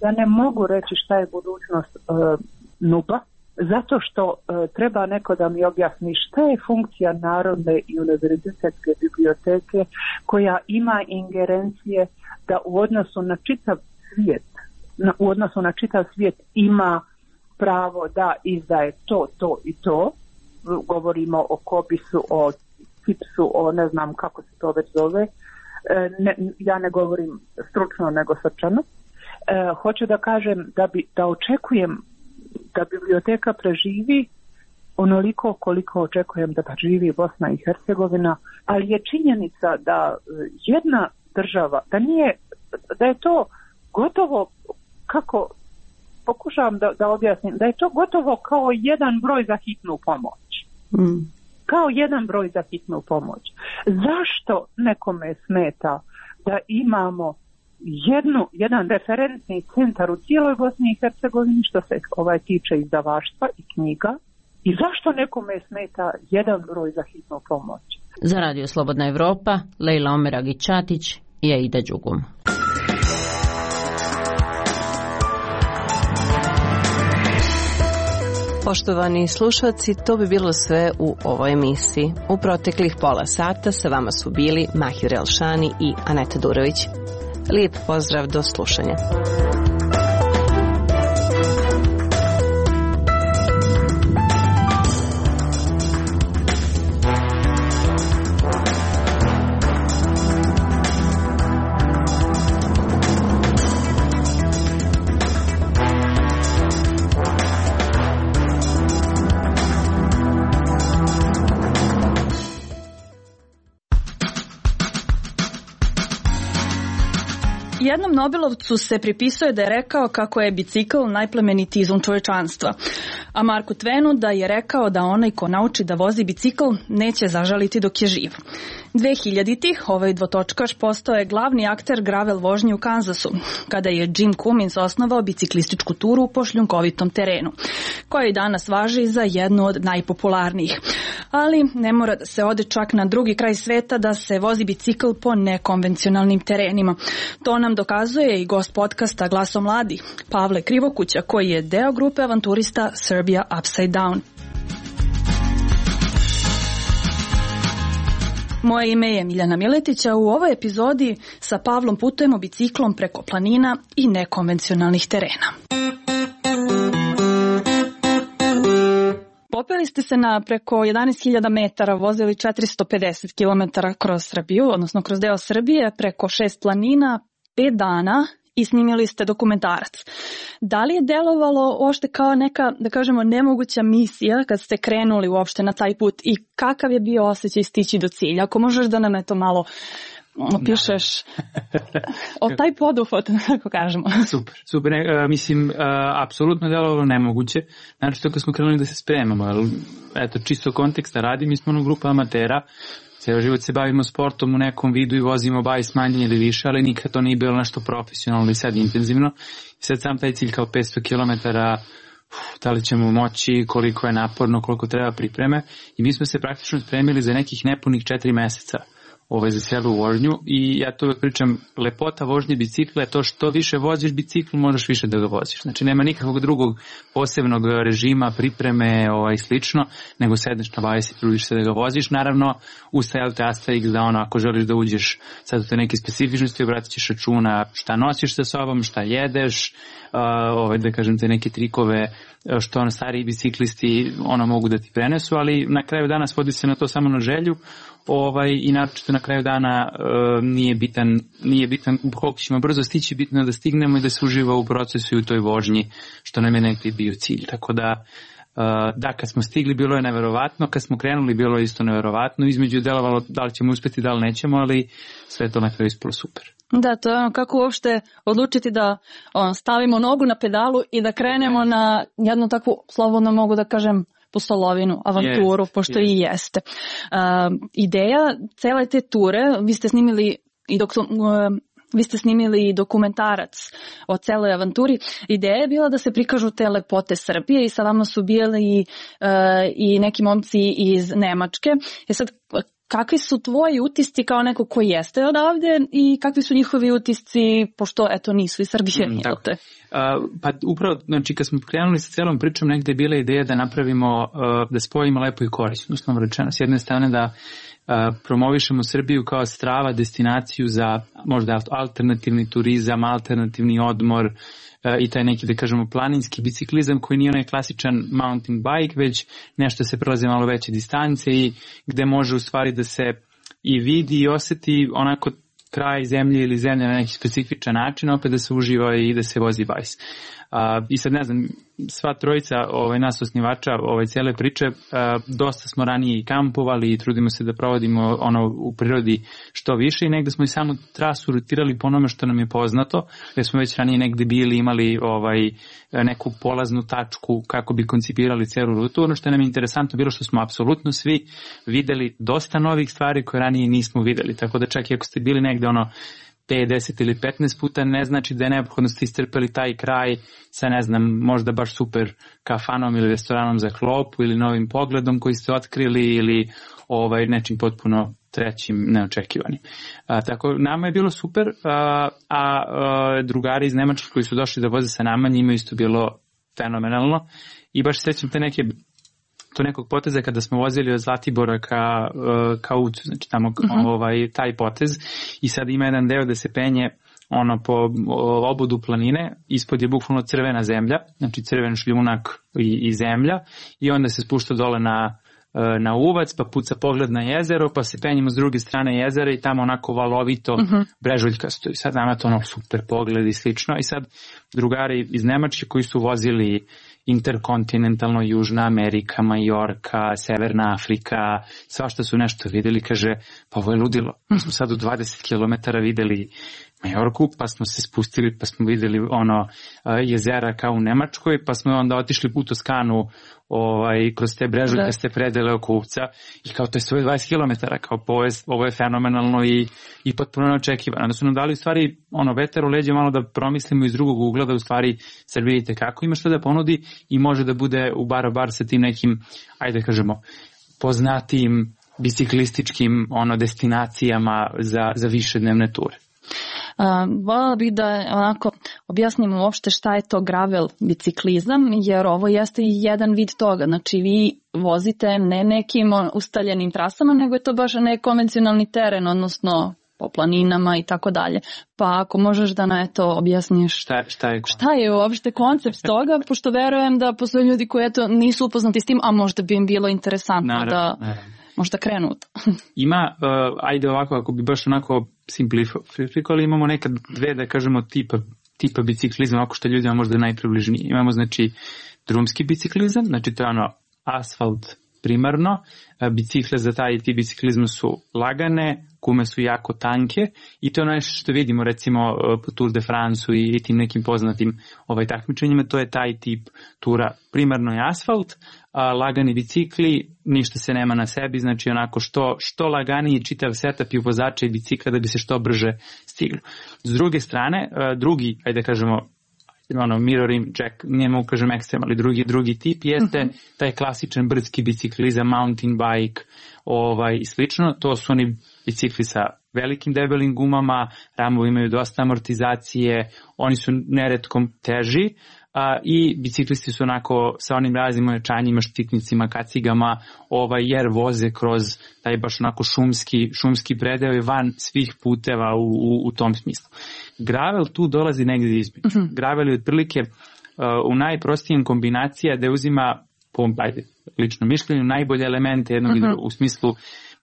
Ja ne mogu reći šta je budućnost uh, N U P-a, zato što uh, treba neko da mi objasni šta je funkcija Narodne i univerzitetske biblioteke koja ima ingerencije da u odnosu na čitav svijet, na, u odnosu na čitav svijet ima pravo da izdaje to, to i to. Govorimo o Kobisu, o Cipsu, o ne znam kako se to već zove. E, ne, ja ne govorim stručno nego srčano. E, hoću da kažem da, bi, da očekujem da biblioteka preživi onoliko koliko očekujem da preživi Bosna i Hercegovina, ali je činjenica da jedna država, da nije, da je to gotovo, kako pokušavam da, da objasnim, da je to gotovo kao jedan broj za hitnu pomoć. Mm. Kao jedan broj za hitnu pomoć. Zašto nekome smeta da imamo jednu, jedan referentni centar u cijeloj Bosni i Hercegovini što se ovaj tiče izdavaštva i knjiga, i zašto nekome smeta jedan broj za hitnu pomoć? Za Radio Slobodna Evropa, Lejla Omeragić-Čatić i Aida Đugum. Poštovani slušalci, to bi bilo sve u ovoj emisiji. U proteklih pola sata sa vama su bili Mahir Elšani i Aneta Durović. Lijep pozdrav, do slušanja. Jednom Nobelovcu se pripisuje da je rekao kako je bicikl najplemenitiji izum čovečanstva, a Marku Twenu da je rekao da onaj ko nauči da vozi bicikl neće zažaliti dok je živ. dve hiljaditih ovaj dvotočkaš postao je glavni akter gravel vožnje u Kansasu, kada je Jim Cummins osnovao biciklističku turu po šljunkovitom terenu, koja i danas važi za jednu od najpopularnijih. Ali ne mora da se ode čak na drugi kraj sveta da se vozi bicikl po nekonvencionalnim terenima. To nam dokazuje i gost podcasta Glaso mladih, Pavle Krivokuća, koji je deo grupe avanturista Serbia Upside Down. Moje ime je Miljana Miletića. U ovoj epizodi sa Pavlom putujemo biciklom preko planina i nekonvencionalnih terena. Popeli ste se na preko jedanaest hiljada metara, vozili četiristo pedeset kilometara kroz Srbiju, odnosno kroz deo Srbije, preko šest planina, pet dana i snimili ste dokumentarac. Da li je delovalo uopšte kao neka, da kažemo, nemoguća misija kad ste krenuli uopšte na taj put i kakav je bio osjećaj stići do cilja? Ako možeš da nam to malo opišeš o taj poduhvat, kako kažemo. Super, super. Ne, mislim, uh, apsolutno delovalo nemoguće. Znači, to kad smo krenuli da se spremamo, ali, eto, čisto konteksta radi, mi smo ono grupa amatera, ceo život se bavimo sportom u nekom vidu i vozimo bajs manje ili više, ali nikad to nije bilo nešto profesionalno i sad intenzivno. I sad sam taj cilj kao petsto kilometara, da li ćemo moći, koliko je naporno, koliko treba pripreme. I mi smo se praktično spremili za nekih nepunih četiri meseca ovaj, za celu vožnju i ja to uvek pričam, lepota vožnje bicikla je to što više voziš bicikl, možeš više da ga voziš. Znači nema nikakvog drugog posebnog režima, pripreme ovaj, slično, nego sedneš na bajs i trudiš se da ga voziš. Naravno, ustajate Asterix da ono, ako želiš da uđeš sad u te neke specifičnosti, obratit ćeš računa šta nosiš sa sobom, šta jedeš, uh, ovaj, da kažem te neke trikove što ono stariji biciklisti ono mogu da ti prenesu, ali na kraju dana svodi se na to samo na želju. Ovaj, i naročito na kraju dana uh, nije bitan, nije bitan koliko ćemo brzo stići, bitno je da stignemo i da se uživa u procesu i u toj vožnji, što nam je nekaj bio cilj. Tako da, uh, da, kad smo stigli bilo je neverovatno, kad smo krenuli bilo je isto neverovatno, između delovalo da li ćemo uspeti, da li nećemo, ali sve to na kraju ispalo super. Da, to je ono kako uopšte odlučiti da on, stavimo nogu na pedalu i da krenemo na jednu takvu, slobodno mogu da kažem, pustolovinu, avanturu, yes, pošto yes. i jeste. Uh, ideja cele te ture, vi ste snimili i dok uh, vi ste snimili dokumentarac o celoj avanturi. Ideja je bila da se prikažu te lepote Srbije i sa vama su bili uh, i neki momci iz Nemačke. E sad, kakvi su tvoji utisci kao neko koji jeste odavde i kakvi su njihovi utisci, pošto eto nisu iz Srbije? Mm, tako. Uh, pa upravo, znači kad smo krenuli sa celom pričom, negde je bila ideja da napravimo, uh, da spojimo lepo i korisno, uslovno rečeno. S jedne strane da uh, promovišemo Srbiju kao strava destinaciju za možda alternativni turizam, alternativni odmor, i taj neki, da kažemo, planinski biciklizam koji nije onaj klasičan mountain bike, već nešto se prelaze malo veće distance i gde može u stvari da se i vidi i oseti onako kraj zemlje ili zemlje na neki specifičan način, opet da se uživa i da se vozi bajs. Uh, I sad ne znam, sva trojica ovaj, nas osnivača ovaj, cijele priče, uh, dosta smo ranije i kampovali i trudimo se da provodimo ono u prirodi što više i negde smo i samu trasu rutirali po onome što nam je poznato, jer smo već ranije negde bili, imali ovaj, neku polaznu tačku kako bi koncipirali celu rutu. Ono što nam je interesantno bilo što smo apsolutno svi videli dosta novih stvari koje ranije nismo videli, tako da čak i ako ste bili negde ono pet, deset ili petnaest puta, ne znači da je neophodno ste istrpeli taj kraj sa, ne znam, možda baš super kafanom ili restoranom za klopu ili novim pogledom koji ste otkrili ili ovaj, nečim potpuno trećim, neočekivanim. A, tako, nama je bilo super, a, a, a drugari iz Nemačke koji su došli da voze sa nama, njima isto bilo fenomenalno i baš sećam te neke to nekog poteza kada smo vozili od Zlatibora ka, ka Ucu, znači tamo uh-huh. ovaj, taj potez i sad ima jedan deo da se penje ono po obodu planine, ispod je bukvalno crvena zemlja, znači crven šljunak i, i zemlja i onda se spušta dole na, na uvac, pa puca pogled na jezero, pa se penjemo s druge strane jezera i tamo onako valovito uh-huh. brežuljkasto i sad nama to ono super pogled i slično i sad drugari iz Nemačke koji su vozili interkontinentalno, Južna Amerika, Majorka, Severna Afrika, svašta su nešto videli, kaže, pa ovo je ludilo. Mi smo sad u dvadeset kilometara videli Majorku, pa smo se spustili, pa smo videli ono jezera kao u Nemačkoj, pa smo onda otišli u Toskanu ovaj, kroz te brežuljkaste predele oko Uvca i kao to je svoje dvadeset kilometara, kao ovo je, ovo je fenomenalno i, i potpuno neočekivano. Onda su nam dali u stvari ono vetar u leđe malo da promislimo iz drugog ugla da u stvari sad vidite kako ima što da ponudi i može da bude u bar bar sa tim nekim, ajde kažemo, poznatijim biciklističkim ono destinacijama za, za više dnevne ture. Uh, voljela bih da onako objasnim uopšte šta je to gravel biciklizam, jer ovo jeste jedan vid toga. Znači vi vozite ne nekim ustaljenim trasama, nego je to baš nekonvencionalni teren, odnosno po planinama i tako dalje. Pa ako možeš da na to objasniš šta, šta, je, šta je uopšte koncept toga, pošto verujem da postoje ljudi koji eto nisu upoznati s tim, a možda bi im bilo interesantno naravno, da naravno. možda krenu u to. Ima, uh, ajde ovako, ako bi baš onako simplifikovali, imamo nekad dve, da kažemo, tipa, tipa biciklizma, ako što ljudima možda najpribližniji. Imamo, znači, drumski biciklizam, znači to je ono asfalt primarno, bicikle za taj tip biciklizma su lagane, gume su jako tanke i to je nešto što vidimo recimo po Tour de France i tim nekim poznatim ovaj takmičenjima, to je taj tip tura. Primarno je asfalt, a, lagani bicikli, ništa se nema na sebi, znači onako što, što laganiji čitav setup i vozača i bicikla da bi se što brže stiglo. S druge strane, drugi, ajde kažemo, ono, mirroring jack, nije mogu kažem ekstrem, ali drugi, drugi tip jeste uh-huh. taj klasičan brdski biciklizam, mountain bike ovaj, i slično. To su oni bicikli sa velikim debelim gumama, ramovi imaju dosta amortizacije, oni su neretkom teži a, i biciklisti su onako sa onim raznim ojačanjima, štiknicima, kacigama, ovaj, jer voze kroz taj baš onako šumski, šumski predeo i van svih puteva u, u, u tom smislu. Gravel tu dolazi negdje između. Uh-huh. Gravel je otprilike uh, u najprostijem kombinacija da uzima, po ajde, lično mišljenju, najbolje elemente jednog uh-huh. u smislu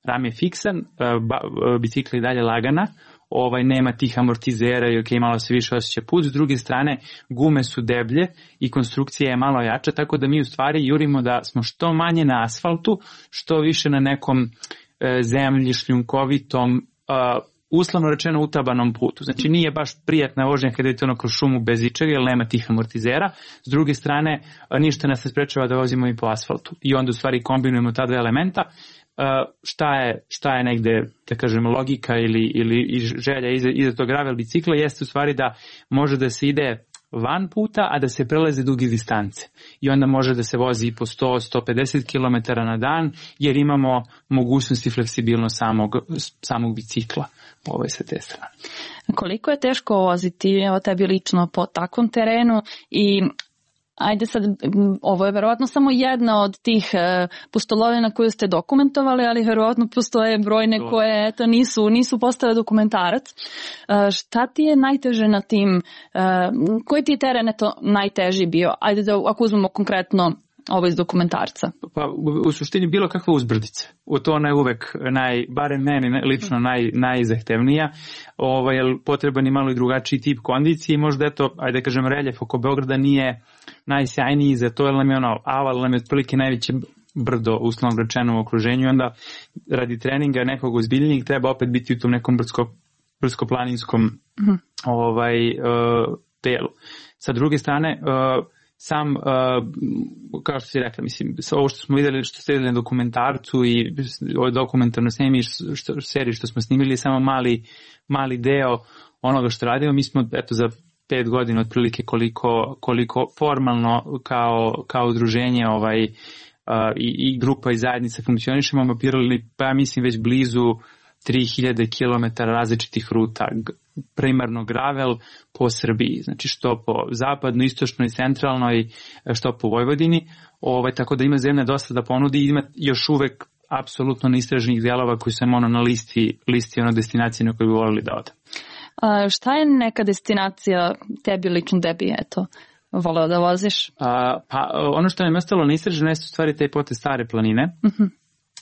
ram je fiksan, uh, ba, uh, bicikla je dalje lagana, ovaj, nema tih amortizera i ok, malo se više osjeća put. S druge strane, gume su deblje i konstrukcija je malo jača, tako da mi u stvari jurimo da smo što manje na asfaltu, što više na nekom uh, zemlji, šljunkovitom, uh, uslovno rečeno utabanom putu. Znači nije baš prijatna vožnja kada idete ono kroz šumu bez ičega, jer nema tih amortizera. S druge strane, ništa nas ne sprečava da vozimo i po asfaltu. I onda u stvari kombinujemo ta dva elementa. Šta je, šta je negde, da kažem, logika ili, ili želja iza, iza tog gravel bicikla jeste u stvari da može da se ide van puta, a da se prelaze duge distance. I onda može da se vozi i po sto do sto pedeset kilometara na dan, jer imamo mogućnost i fleksibilnost samog, samog bicikla. Ovo je sa te strane. Koliko je teško voziti evo tebi lično po takvom terenu i ajde sad, ovo je verovatno samo jedna od tih e, pustolovina koju ste dokumentovali, ali verovatno postoje brojne koje eto, nisu, nisu postale dokumentarac. E, šta ti je najteže na tim, e, koji ti je teren eto, najteži bio? Ajde da ako uzmemo konkretno ovo iz dokumentarca. Pa u, u suštini bilo kakva uzbrdica. U to ona je uvek, naj, barem meni lično naj, najzahtevnija, ovaj, jer potreban je malo i drugačiji tip kondicije i možda eto, ajde kažem, reljef oko Beograda nije najsjajniji za to, jer nam je ono, aval nam je otprilike najveće brdo, uslovno rečeno, u okruženju i onda radi treninga nekog ozbiljnijeg treba opet biti u tom nekom brdsko, brdsko-planinskom mm-hmm. ovaj, uh, delu. Sa druge strane, uh, sam, uh, kao što si rekla, mislim, ovo što smo vidjeli, što ste vidjeli na dokumentarcu i ovoj dokumentarnoj snimi, što, seriji što smo snimili, je samo mali, mali deo onoga što radimo. Mi smo, eto, za pet godina otprilike koliko, koliko formalno kao, kao udruženje ovaj, uh, i, i grupa i zajednica funkcionišemo, mapirali, pa ja mislim već blizu tri hiljade kilometara različitih ruta, primarno gravel po Srbiji, znači što po zapadno, istočnoj i centralnoj, što po Vojvodini, ovaj, tako da ima zemlja dosta da ponudi i ima još uvek apsolutno neistraženih delova koji su ono na listi, listi ono destinacije na koje bi volili da ode. A šta je neka destinacija tebi lično tebi, eto, voleo da voziš? A, pa ono što nam je ostalo neistraženo jeste u stvari taj potez Stare planine uh-huh.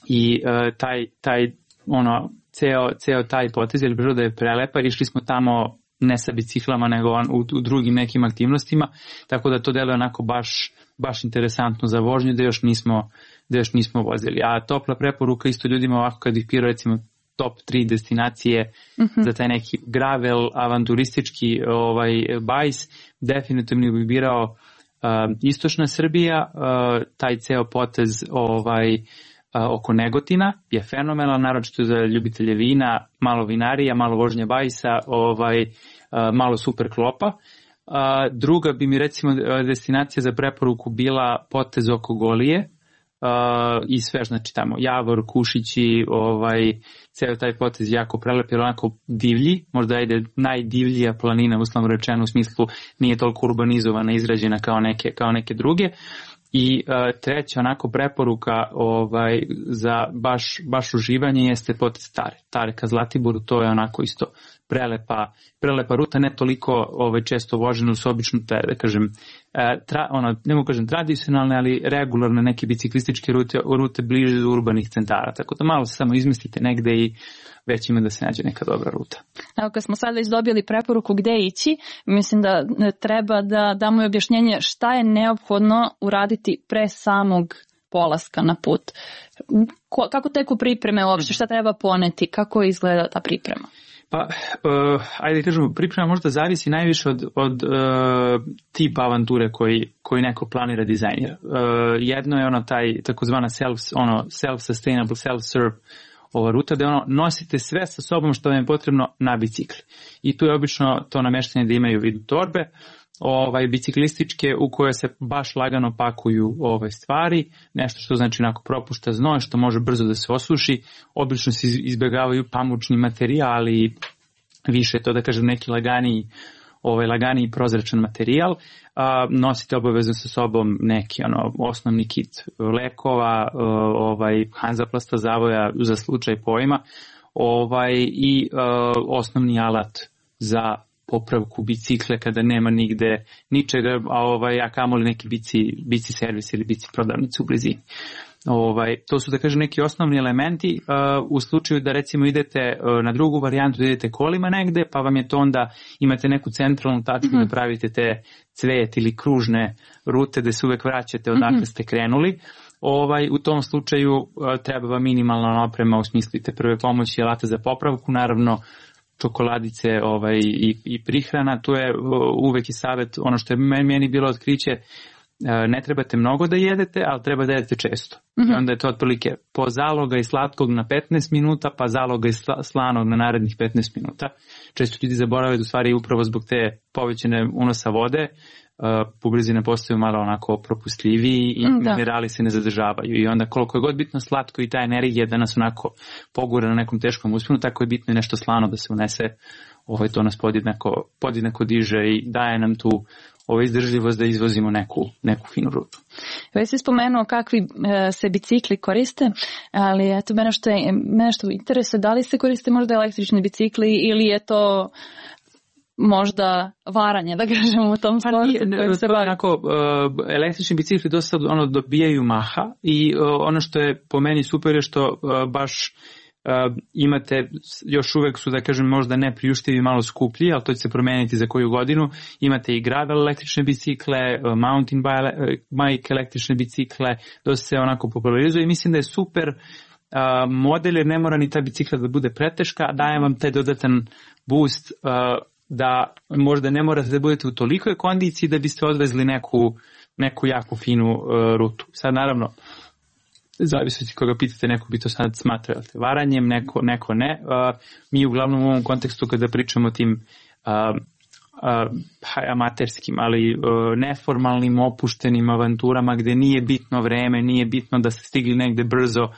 i uh, taj, taj ono, ceo, ceo taj potez, jer priroda je prelepa, išli smo tamo ne sa biciklama, nego on, u, u drugim nekim aktivnostima, tako da to deluje onako baš, baš interesantno za vožnju, da još nismo, da još nismo vozili. A topla preporuka isto ljudima ovako kad ih pira recimo top tri destinacije uh-huh. za taj neki gravel, avanturistički ovaj, bajs, definitivno bi birao uh, istočna Srbija, uh, taj ceo potez ovaj, uh, oko Negotina je fenomenal, naročito za ljubitelje vina, malo vinarija, malo vožnje bajsa, ovaj, uh, malo super klopa. Uh, druga bi mi recimo destinacija za preporuku bila potez oko Golije, Uh, i sve, znači tamo Javor, Kušići, ovaj, ceo taj potez jako prelep, jer onako divlji, možda ide najdivljija planina, uslovno rečeno, u smislu nije toliko urbanizovana, izrađena kao neke, kao neke druge. I uh, treća onako preporuka ovaj, za baš, baš uživanje jeste potez Tare. Tare ka Zlatiboru, to je onako isto prelepa, prelepa ruta, ne toliko ovaj, često vožena, su obično, te, da kažem, tra, ono, ne mogu kažem tradicionalne, ali regularne neke biciklističke rute, rute bliže do urbanih centara, tako da malo se samo izmestite negde i već ima da se nađe neka dobra ruta. Evo, kad smo sad već dobili preporuku gde ići, mislim da treba da damo i objašnjenje šta je neophodno uraditi pre samog polaska na put. Ko, kako teku pripreme uopšte, šta treba poneti, kako izgleda ta priprema? Pa, uh, ajde kažemo, priprema možda zavisi najviše od, od uh, tipa avanture koji, koji neko planira dizajnira. Uh, jedno je ono taj takozvana self, ono, self-sustainable, self-serve ova ruta, da ono, nosite sve sa sobom što vam je potrebno na bicikli. I tu je obično to nameštanje da imaju vidu torbe, ovaj, biciklističke u koje se baš lagano pakuju ove stvari, nešto što znači onako propušta znoj, što može brzo da se osuši, obično se izbjegavaju pamučni materijali, više to da kažem neki laganiji, ovaj, laganiji prozračan materijal, a, nosite obavezno sa sobom neki ono, osnovni kit lekova, ovaj, Hanzaplasta zavoja za slučaj pojma, ovaj, i a, osnovni alat za popravku bicikle kada nema nigde ničega, a ovaj, a kamoli neki bici, bici servis ili bici prodavnicu u blizini. Ovaj, to su da kažem neki osnovni elementi uh, u slučaju da recimo idete uh, na drugu varijantu, da idete kolima negde, pa vam je to onda, imate neku centralnu tačku mm-hmm. da pravite te cvet ili kružne rute da se uvek vraćate odakle mm-hmm. ste krenuli. Ovaj, u tom slučaju uh, treba vam minimalna oprema u smislu te prve pomoći, alata za popravku, naravno čokoladice ovaj, i, i prihrana. Tu je uh, uvek i savjet, ono što je meni bilo otkriće, ne trebate mnogo da jedete, ali treba da jedete često. Mm-hmm. I onda je to otprilike po zaloga i slatkog na petnaest minuta, pa zaloga i slanog na narednih petnaest minuta. Često ljudi zaboravaju da u stvari upravo zbog te povećane unosa vode, uh, bubrezi postaju malo onako propustljiviji i mm, minerali se ne zadržavaju. I onda koliko je god bitno slatko i ta energija da nas onako pogura na nekom teškom usponu, tako je bitno i nešto slano da se unese. Ovaj, to nas podjednako, podjednako diže i daje nam tu ovo izdržljivost da izvozimo neku, neku finu rutu. Već si spomenuo kakvi e, se bicikli koriste, ali eto mene što, je, mene što interesuje, da li se koriste možda električni bicikli ili je to možda varanje, da kažemo u tom sportu kojim se bavi? Onako, uh, električni bicikli dosta ono, dobijaju maha i uh, ono što je po meni super je što uh, baš Uh, imate, još uvek su da kažem možda ne priuštivi, malo skuplji, ali to će se promeniti za koju godinu. Imate i gravel električne bicikle, uh, mountain bike električne bicikle, dosta se onako popularizuje i mislim da je super uh, model jer ne mora ni ta bicikla da bude preteška, daje vam taj dodatan boost uh, da možda ne morate da budete u tolikoj kondiciji da biste odvezli neku, neku jako finu uh, rutu. Sad naravno zavisiti koga pitate, neko bi to sad smatrao varanjem, neko, neko ne. Uh, mi uglavnom u ovom kontekstu kada pričamo o tim uh, uh, amaterskim, ali uh, neformalnim, opuštenim avanturama gde nije bitno vreme, nije bitno da ste stigli negde brzo,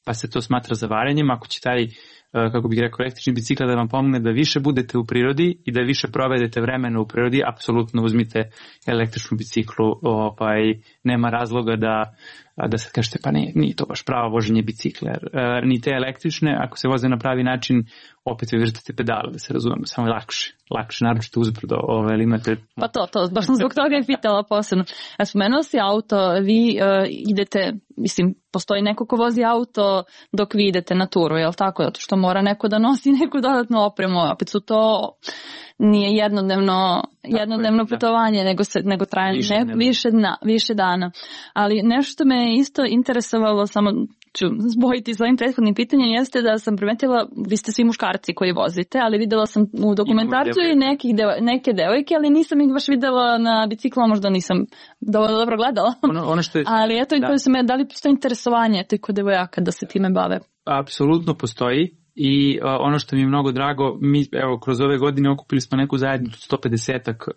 pa se to smatra za varanjem. Ako će taj, uh, kako bih rekao, električni bicikl da vam pomogne da više budete u prirodi i da više provedete vremena u prirodi, apsolutno uzmite električnu biciklu, ovaj, nema razloga da da se kažete pa ne, nije to baš pravo voženje bicikla. E, ni te električne, ako se voze na pravi način, opet vi vrtate pedale, da se razumemo, samo je lakše. Lakše, naročito uzbrdo, ovaj, ili imate... Pa to, to, baš sam zbog toga je pitala posebno. A spomenuo si auto, vi uh, idete, mislim, postoji neko ko vozi auto dok vi idete na turu, je li tako? Zato što mora neko da nosi neku dodatnu opremu, opet su to nije jednodnevno, jednodnevno putovanje, nego, se, nego traje više, ne, više, dna, više dana. Ali nešto me je isto interesovalo, samo ću zbojiti s ovim prethodnim pitanjem, jeste da sam primetila, vi ste svi muškarci koji vozite, ali videla sam u dokumentarcu i nekih deo, neke devojke, ali nisam ih baš videla na biciklu, možda nisam dovoljno dobro gledala. Ono, ono što je, ali eto, da. Se me, da li postoji interesovanje te kod devojaka da se time bave? Apsolutno postoji. I uh, ono što mi je mnogo drago, mi evo kroz ove godine okupili smo neku zajednicu sto pedesetak uh,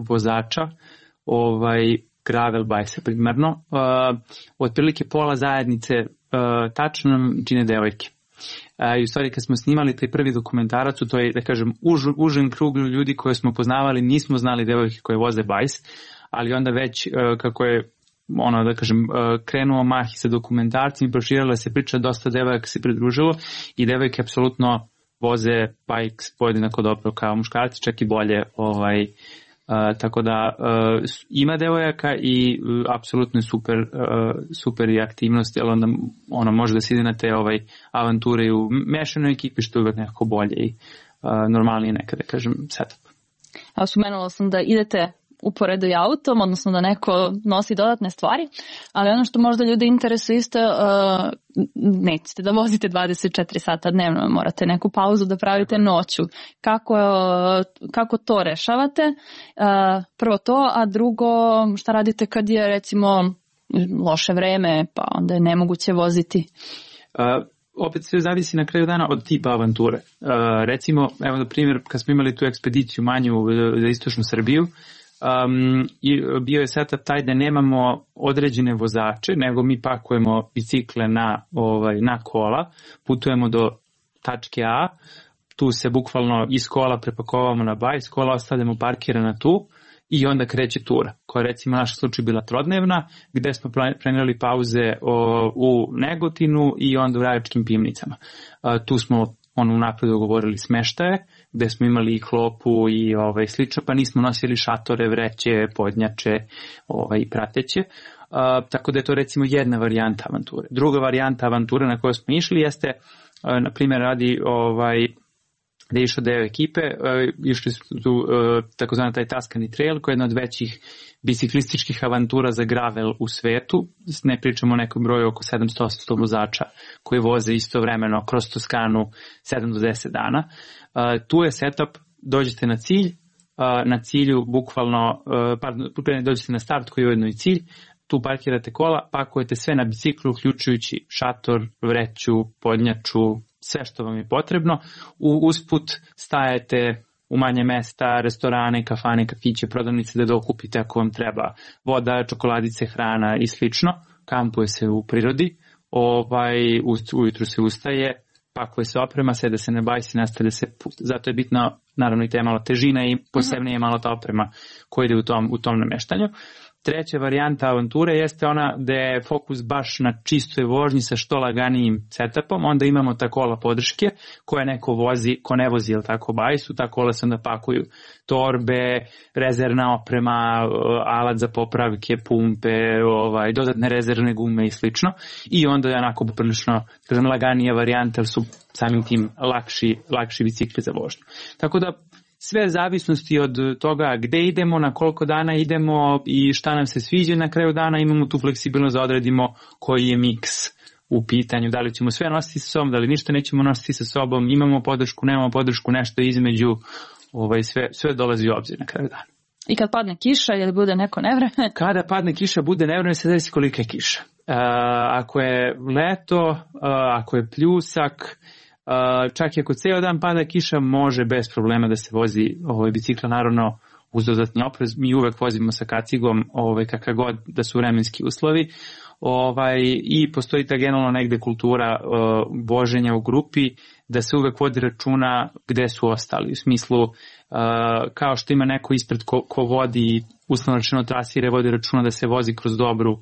vozača, ovaj gravel bajse primarno, uh, otprilike pola zajednice uh, tačno nam čine devojke. Uh, I u stvari kad smo snimali taj prvi dokumentarac, to je da kažem už, užen krug ljudi koje smo poznavali, nismo znali devojke koje voze bajs, ali onda već uh, kako je ono da kažem krenuo mah i sa dokumentarcima, proširila se priča, dosta devojaka se pridružilo i devojke apsolutno voze bikes podjednako dobro kao muškarci, čak i bolje, ovaj, uh, tako da uh, ima devojaka i uh, apsolutno je super, uh, super i aktivnost, jer onda ono može da se ide na te ovaj, avanture i u mešanoj ekipi, što je uvek nekako bolje i uh, normalnije nekada, kažem, setup. A spomenula sam da idete uporedo i autom, odnosno da neko nosi dodatne stvari, ali ono što možda ljude interesuje isto, uh, nećete da vozite dvadeset četiri sata dnevno, morate neku pauzu da pravite noću. Kako, uh, kako to rešavate? Uh, prvo to, a drugo, šta radite kad je recimo loše vreme, pa onda je nemoguće voziti? Uh, opet sve zavisi na kraju dana od tipa avanture. Uh, recimo, evo na primjer, kad smo imali tu ekspediciju manju za istočnu Srbiju, Um, i bio je setup taj da nemamo određene vozače, nego mi pakujemo bicikle na, ovaj, na kola, putujemo do tačke A, tu se bukvalno iz kola prepakovamo na bajs, kola ostavljamo parkirana tu i onda kreće tura, koja je recimo naš slučaj bila trodnevna, gde smo planirali pauze o, u Negotinu i onda u Rajačkim Pivnicama. Uh, tu smo ono unapred dogovorili smeštaje, gde smo imali i klopu i ovaj, slično, pa nismo nosili šatore, vreće, podnjače ovaj, i prateće. Uh, tako da je to recimo jedna varijanta avanture. Druga varijanta avanture na kojoj smo išli jeste, uh, na primjer, radi ovaj, gde je išao deo ekipe, uh, išli su tu uh, takozvani taj Tuscany Trail, koja je jedna od većih biciklističkih avantura za gravel u svetu. Ne pričamo o nekom broju oko sedamsto osamsto vozača koji voze istovremeno kroz Toskanu sedam do deset dana. Uh, tu je setup, dođete na cilj, uh, na cilju bukvalno, uh, pardon, dođete na start koji je ujedno i cilj, tu parkirate kola, pakujete sve na biciklu, uključujući šator, vreću, podnjaču, sve što vam je potrebno. U, usput stajete u manje mesta, restorane, kafane, kafiće, prodavnice da dokupite ako vam treba voda, čokoladice, hrana i slično. Kampuje se u prirodi, ovaj, ujutru se ustaje, pakuje se oprema, sede se na bajs i nastavlja se put. Zato je bitno, naravno, i te malo težina i posebno je malo ta oprema koja ide u tom, u tom nameštanju. Treća varijanta avanture jeste ona da je fokus baš na čistoj vožnji sa što laganijim setupom, onda imamo ta kola podrške koje neko vozi, ko ne vozi, ili tako, bajsu, ta kola se onda pakuju torbe, rezervna oprema, alat za popravke, pumpe, ovaj, dodatne rezervne gume i slično, i onda je onako poprilično, kažem, laganija varijanta, ali su samim tim lakši, lakši bicikli za vožnju. Tako da sve zavisnosti od toga gde idemo, na koliko dana idemo i šta nam se sviđa, na kraju dana imamo tu fleksibilnost da odredimo koji je miks u pitanju, da li ćemo sve nositi sa sobom, da li ništa nećemo nositi sa sobom, imamo podršku, nemamo podršku, nešto između, ovaj, sve, sve dolazi u obzir na kraju dana. I kad padne kiša ili bude neko nevreme? Kada padne kiša, bude nevreme, se zavisi kolika je kiša. Uh, ako je leto, uh, ako je pljusak, Uh, čak i ako ceo dan pada kiša, može bez problema da se vozi ovaj, bicikla, naravno uz dodatni oprez. Mi uvek vozimo sa kacigom, ovaj, kakav god da su vremenski uslovi, ovaj, i postoji ta generalno negde kultura uh, voženja u grupi, da se uvek vodi računa gde su ostali, u smislu uh, kao što ima neko ispred ko, ko vodi, uslovno rečeno trasire, vodi računa da se vozi kroz dobru,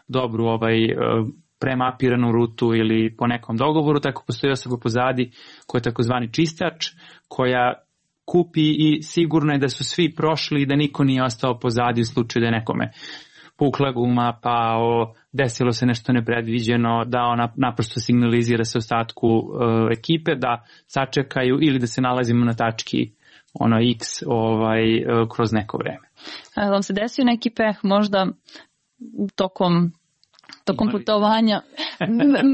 dobru ovaj, uh, premapiranu rutu ili po nekom dogovoru, tako postoji osoba pozadi koja je takozvani čistač, koja kupi i sigurno je da su svi prošli i da niko nije ostao pozadi u slučaju da je nekome pukla guma, pa o, desilo se nešto nepredviđeno, da ona naprosto signalizira se ostatku uh, ekipe, da sačekaju ili da se nalazimo na tački ono X ovaj, kroz neko vreme. A vam se desio neki peh možda tokom tokom putovanja?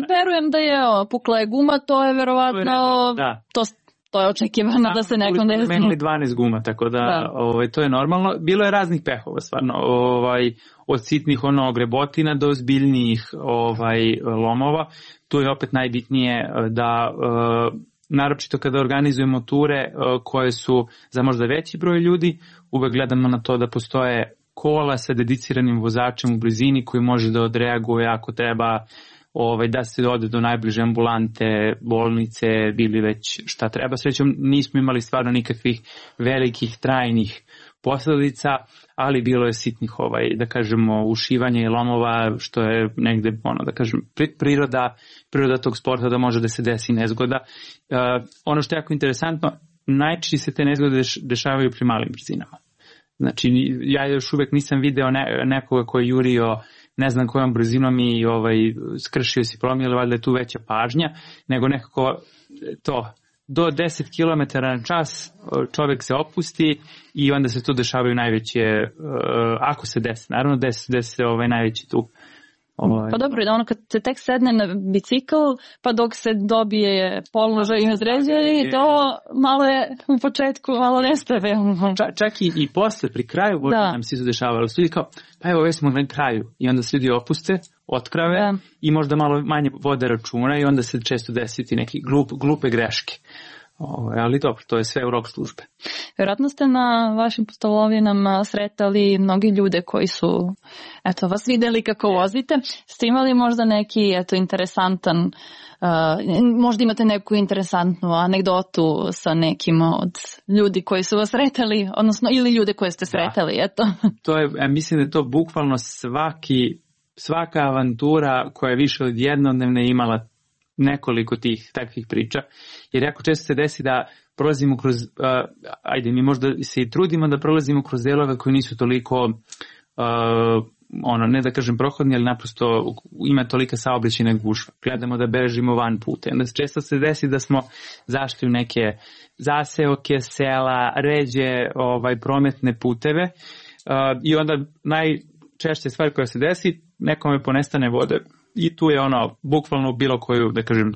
Verujem da je o, pukla je guma, to je verovatno da. to, to je očekivano da, da se nekom desi. Menili dvanaest guma, tako da, da. Ovaj, to je normalno. Bilo je raznih pehova stvarno, ovaj, od sitnih ono grebotina do ozbiljnijih ovaj, lomova. Tu je opet najbitnije da uh, naročito kada organizujemo ture uh, koje su za možda veći broj ljudi, uvek gledamo na to da postoje kola sa dediciranim vozačem u blizini koji može da odreaguje ako treba ovaj, da se ode do najbliže ambulante, bolnice ili već šta treba. Srećom nismo imali stvarno nikakvih velikih trajnih posledica, ali bilo je sitnih ovaj, da kažemo ušivanja i lomova, što je negde ono da kažem priroda, priroda tog sporta da može da se desi nezgoda. Uh, ono što je jako interesantno, najčešće se te nezgode dešavaju pri malim brzinama. Znači, ja još uvek nisam video ne, nekoga koji je jurio ne znam kojom brzinom i ovaj, skršio si promil, valjda je tu veća pažnja, nego nekako to, do deset kilometara na čas čovek se opusti i onda se tu dešavaju najveće, uh, ako se desi, naravno desi, desi se ovaj, najveći tu. Ovaj. Pa dobro, da ono kad se tek sedne na bicikl, pa dok se dobije položaj i određuje, to malo je u početku, malo nestave. Čak, čak i, i posle, pri kraju, da. Nam se izdešavalo. Ljudi kao, pa evo, već smo na kraju. I onda se ljudi opuste, otkrave da. I možda malo manje vode računa i onda se često desiti neke glup, glupe greške. O, ali dobro, to je sve u rok službe. Vjerojatno ste na vašim pustolovima sretali mnogi ljude koji su eto, vas videli kako vozite. Ste imali možda neki eto, interesantan, uh, možda imate neku interesantnu anegdotu sa nekim od ljudi koji su vas sretali, odnosno ili ljude koje ste sretali, da. Eto. To je, ja mislim da je to bukvalno svaki, svaka avantura koja je više od jednodnevne imala nekoliko tih takvih priča, jer jako često se desi da prolazimo kroz, uh, ajde mi možda se i trudimo da prolazimo kroz delove koji nisu toliko, uh, ono, ne da kažem prohodni, ali naprosto ima tolika saobraćajna gužva. Gledamo da bežimo van puta. Onda često se desi da smo zašli u neke zaseoke, sela, ređe, ovaj, prometne puteve uh, i onda najčešće stvar koja se desi, nekome ponestane vode. I tu je ono, bukvalno bilo koju, da kažem,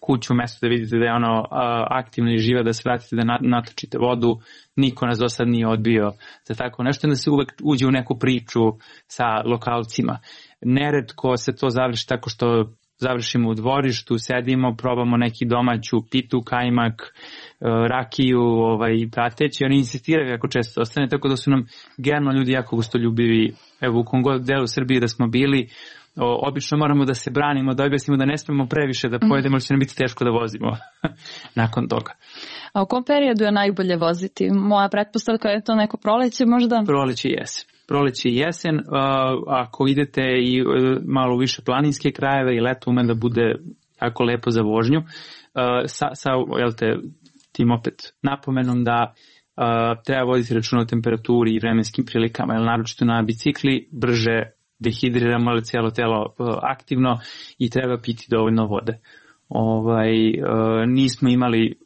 kuću, mesto da vidite da je ono aktivno i živa, da se vratite da natočite vodu, niko nas do sad nije odbio za tako nešto, da se uvek uđe u neku priču sa lokalcima. Neretko se to završi tako što završimo u dvorištu, sedimo, probamo neki domaću pitu, kajmak, rakiju, ovaj, prateći, oni insistiraju jako često ostane, tako da su nam generalno ljudi jako gostoljubivi, evo u kom god delu Srbije da smo bili, O, obično moramo da se branimo, da objasnimo da ne smemo previše da pojedemo, ali će nam biti teško da vozimo nakon toga. A u kom periodu je najbolje voziti? Moja pretpostavka je to neko proleće možda? Proleće i jesen. Proleće i jesen, uh, ako idete i uh, malo više planinske krajeve i leto ume da bude jako lepo za vožnju, uh, sa, sa jel te, tim opet napomenom da uh, treba voditi računa o temperaturi i vremenskim prilikama, jer naročito na bicikli brže dehidriramo, ali cijelo telo aktivno i treba piti dovoljno vode. Ovaj, nismo imali,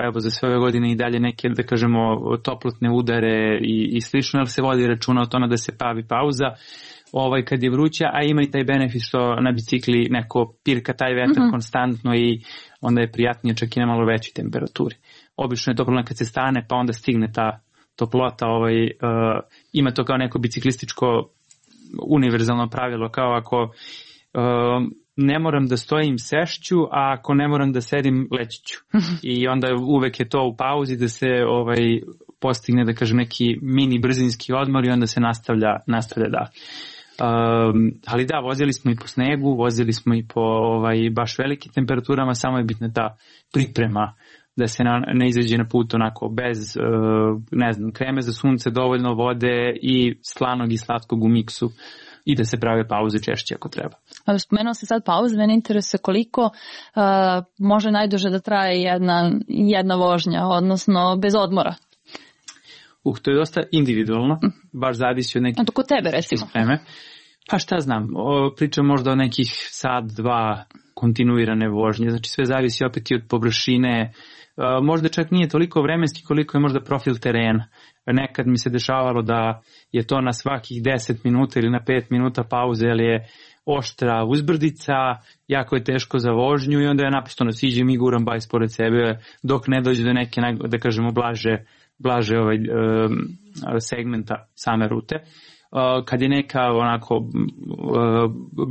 evo za sve ove godine i dalje neke, da kažemo, toplotne udare i, i slično, ali se vodi računa o tome da se pravi pauza ovaj, kad je vruća, a ima i taj benefit što na bicikli neko pirka taj vetar mm-hmm. konstantno i onda je prijatnije čak i na malo većoj temperaturi. Obično je to problem kad se stane, pa onda stigne ta toplota, ovaj, uh, ima to kao neko biciklističko univerzalno pravilo, kao ako uh, ne moram da stojim sešću, a ako ne moram da sedim leći ću. I onda uvek je to u pauzi da se ovaj, postigne, da kažem, neki mini brzinski odmor i onda se nastavlja, nastavlja da. Um, ali da, vozili smo i po snegu, vozili smo i po ovaj, baš velikim temperaturama, samo je bitna ta priprema da se na, ne izađe na put onako bez, uh, ne znam, kreme za sunce, dovoljno vode i slanog i slatkog u miksu i da se prave pauze češće ako treba. Ali spomenuo se sad pauze, mene interesuje koliko uh, može najduže da traje jedna, jedna vožnja, odnosno bez odmora. Uh, to je dosta individualno, mm. baš zavisi od nekih... A to kod tebe recimo? Spreme. Pa šta znam, o, pričam možda o nekih sat, dva kontinuirane vožnje, znači sve zavisi opet i od površine, možda čak nije toliko vremenski koliko je možda profil terena. Nekad mi se dešavalo da je to na svakih deset minuta ili na pet minuta pauze, jer je oštra uzbrdica, jako je teško za vožnju i onda je naprosto siđem i guram bajs pored sebe dok ne dođe do neke, da kažemo, blaže, blaže ovaj, um, segmenta same rute. Uh, kad je neka onako uh,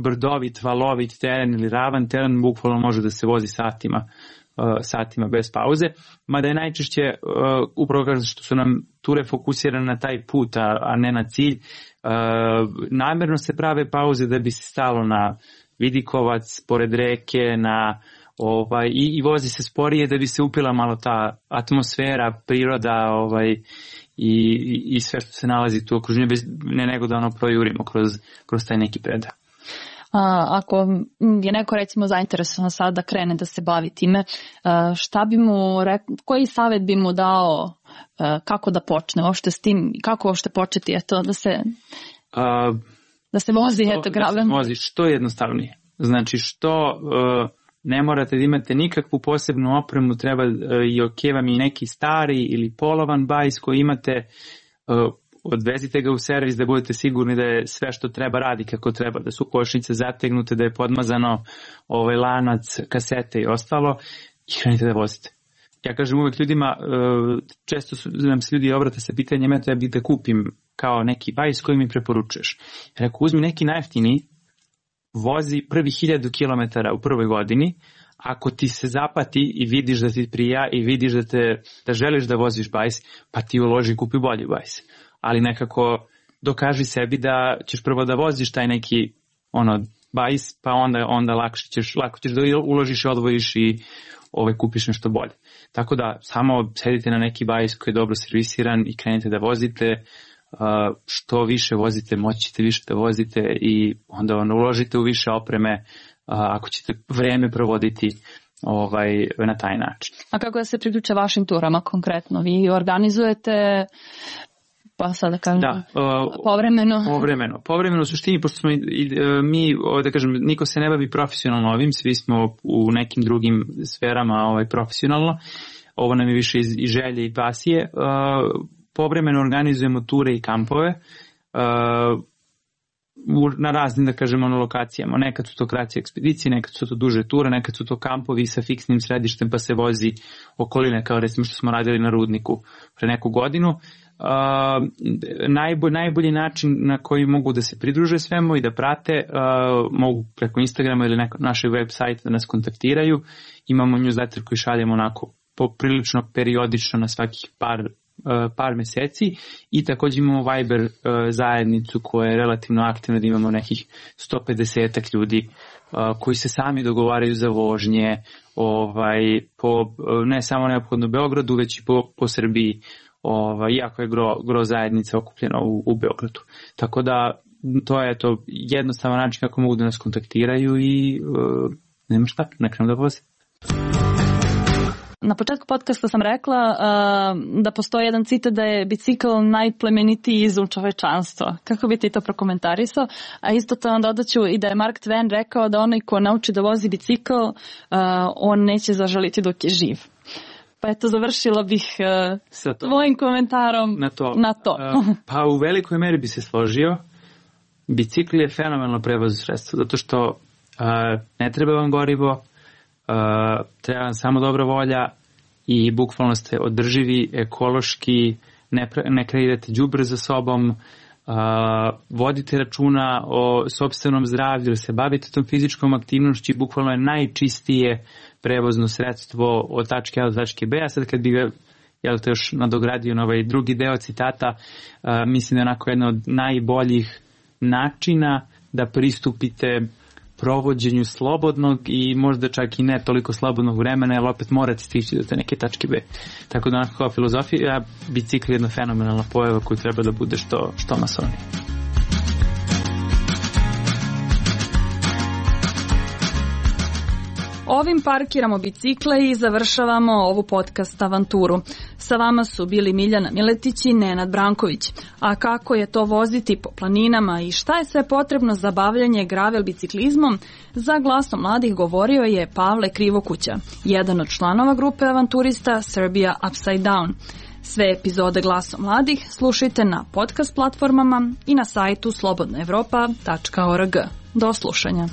brdovit, valovit teren ili ravan teren, bukvalno može da se vozi satima, uh, satima bez pauze, mada je najčešće uh, upravo kao što su nam ture fokusirane na taj put, a, a ne na cilj. Uh, namjerno se prave pauze da bi se stalo na vidikovac, pored reke, na ovaj, i, i vozi se sporije da bi se upila malo ta atmosfera, priroda, ovaj, i, i sve što se nalazi tu u okruženju, bez, ne nego da ono projurimo kroz, kroz taj neki predah. A, ako je neko recimo zainteresovan sad da krene da se bavi time, šta bi mu rekao, koji savjet bi mu dao, kako da počne uopšte s tim, kako uopšte početi, eto, da se A, da se vozi, što, eto, gravel. Da se vozi što jednostavnije. Znači što uh, ne morate da imate nikakvu posebnu opremu, treba uh, i ok vam i neki stari ili polovan bajs koji imate, uh, odvezite ga u servis da budete sigurni da je sve što treba radi kako treba, da su kočnice zategnute, da je podmazano ovaj lanac, kasete i ostalo, i krenite da vozite. Ja kažem uvek ljudima, uh, često su, nam se ljudi obrate sa pitanjem, eto ja bih da kupim kao neki bajs koji mi preporučuješ. Rekao, uzmi neki najjeftiniji, vozi prvi hiljadu kilometara u prvoj godini, ako ti se zapati i vidiš da ti prija i vidiš da, te, da želiš da voziš bajs, pa ti uloži i kupi bolji bajs. Ali nekako dokaži sebi da ćeš prvo da voziš taj neki ono, bajs, pa onda, onda lakše ćeš, lako ćeš da uložiš i odvojiš i ovaj, kupiš nešto bolje. Tako da samo sedite na neki bajs koji je dobro servisiran i krenite da vozite. Uh, što više vozite, moći ćete više da vozite i onda ono, uložite u više opreme uh, ako ćete vreme provoditi ovaj, na taj način. A kako da se priključe vašim turama konkretno? Vi organizujete, pa sad da kažem, da, uh, povremeno? Povremeno. Povremeno u suštini, pošto smo i, i, mi, da kažem, niko se ne bavi profesionalno ovim, svi smo u nekim drugim sferama ovaj, profesionalno. Ovo nam je više iz, iz želje i pasije. Uh, Povremeno organizujemo ture i kampove uh, na raznim, da kažemo, lokacijama. Nekad su to kraće ekspedicije, nekad su to duže ture, nekad su to kampovi sa fiksnim središtem pa se vozi okoline, kao recimo što smo radili na Rudniku pre neku godinu. Uh, najbolj, najbolji način na koji mogu da se pridruže svemu i da prate, uh, mogu preko Instagrama ili neko, našeg web sajta da nas kontaktiraju. Imamo newsletter koji šaljemo onako poprilično periodično na svakih par par meseci i također imamo Viber uh, zajednicu koja je relativno aktivna, da imamo nekih sto pedeset ljudi uh, koji se sami dogovaraju za vožnje, ovaj, po, ne samo neophodno u Beogradu, već i po, po Srbiji, ovaj, iako je gro, gro zajednica okupljena u, u Beogradu. Tako da to je to jednostavan način kako mogu da nas kontaktiraju i uh, nema šta, ne krenu da vozi. Na početku podcasta sam rekla uh, da postoji jedan citat da je bicikl najplemenitiji izum čovečanstva. Kako bi ti to prokomentarisao? A isto to onda dodaću i da je Mark Twain rekao da onaj ko nauči da vozi bicikl, uh, on neće zažaliti dok je živ. Pa eto, završila bih uh, tvojim komentarom na to. Na to. uh, pa u velikoj meri bi se složio. Bicikl je fenomenalno prevozno sredstvo, zato što uh, ne treba vam gorivo, uh, treba vam samo dobra volja i bukvalno ste održivi, ekološki, ne, ne kreirate đubre za sobom, uh, vodite računa o sopstvenom zdravlju, jer se bavite tom fizičkom aktivnošću, bukvalno je najčistije prevozno sredstvo od tačke A do tačke B. A sad kad bi ga jel te još nadogradio na ovaj drugi deo citata, uh, mislim da je onako jedna od najboljih načina da pristupite provođenju slobodnog i možda čak i ne toliko slobodnog vremena, jer opet morate stići do te neke tačke B. Tako da onako kao filozofija, bicikl je jedna fenomenalna pojava koju treba da bude što, što masovnije. Ovim parkiramo bicikle i završavamo ovu podcast avanturu. Sa vama su bili Miljana Miletić i Nenad Branković. A kako je to voziti po planinama i šta je sve potrebno za bavljanje gravel biciklizmom, za Glasom mladih govorio je Pavle Krivokuća, jedan od članova grupe avanturista Serbia Upside Down. Sve epizode Glasom mladih slušajte na podcast platformama i na sajtu slobodna evropa tačka org. Do slušanja.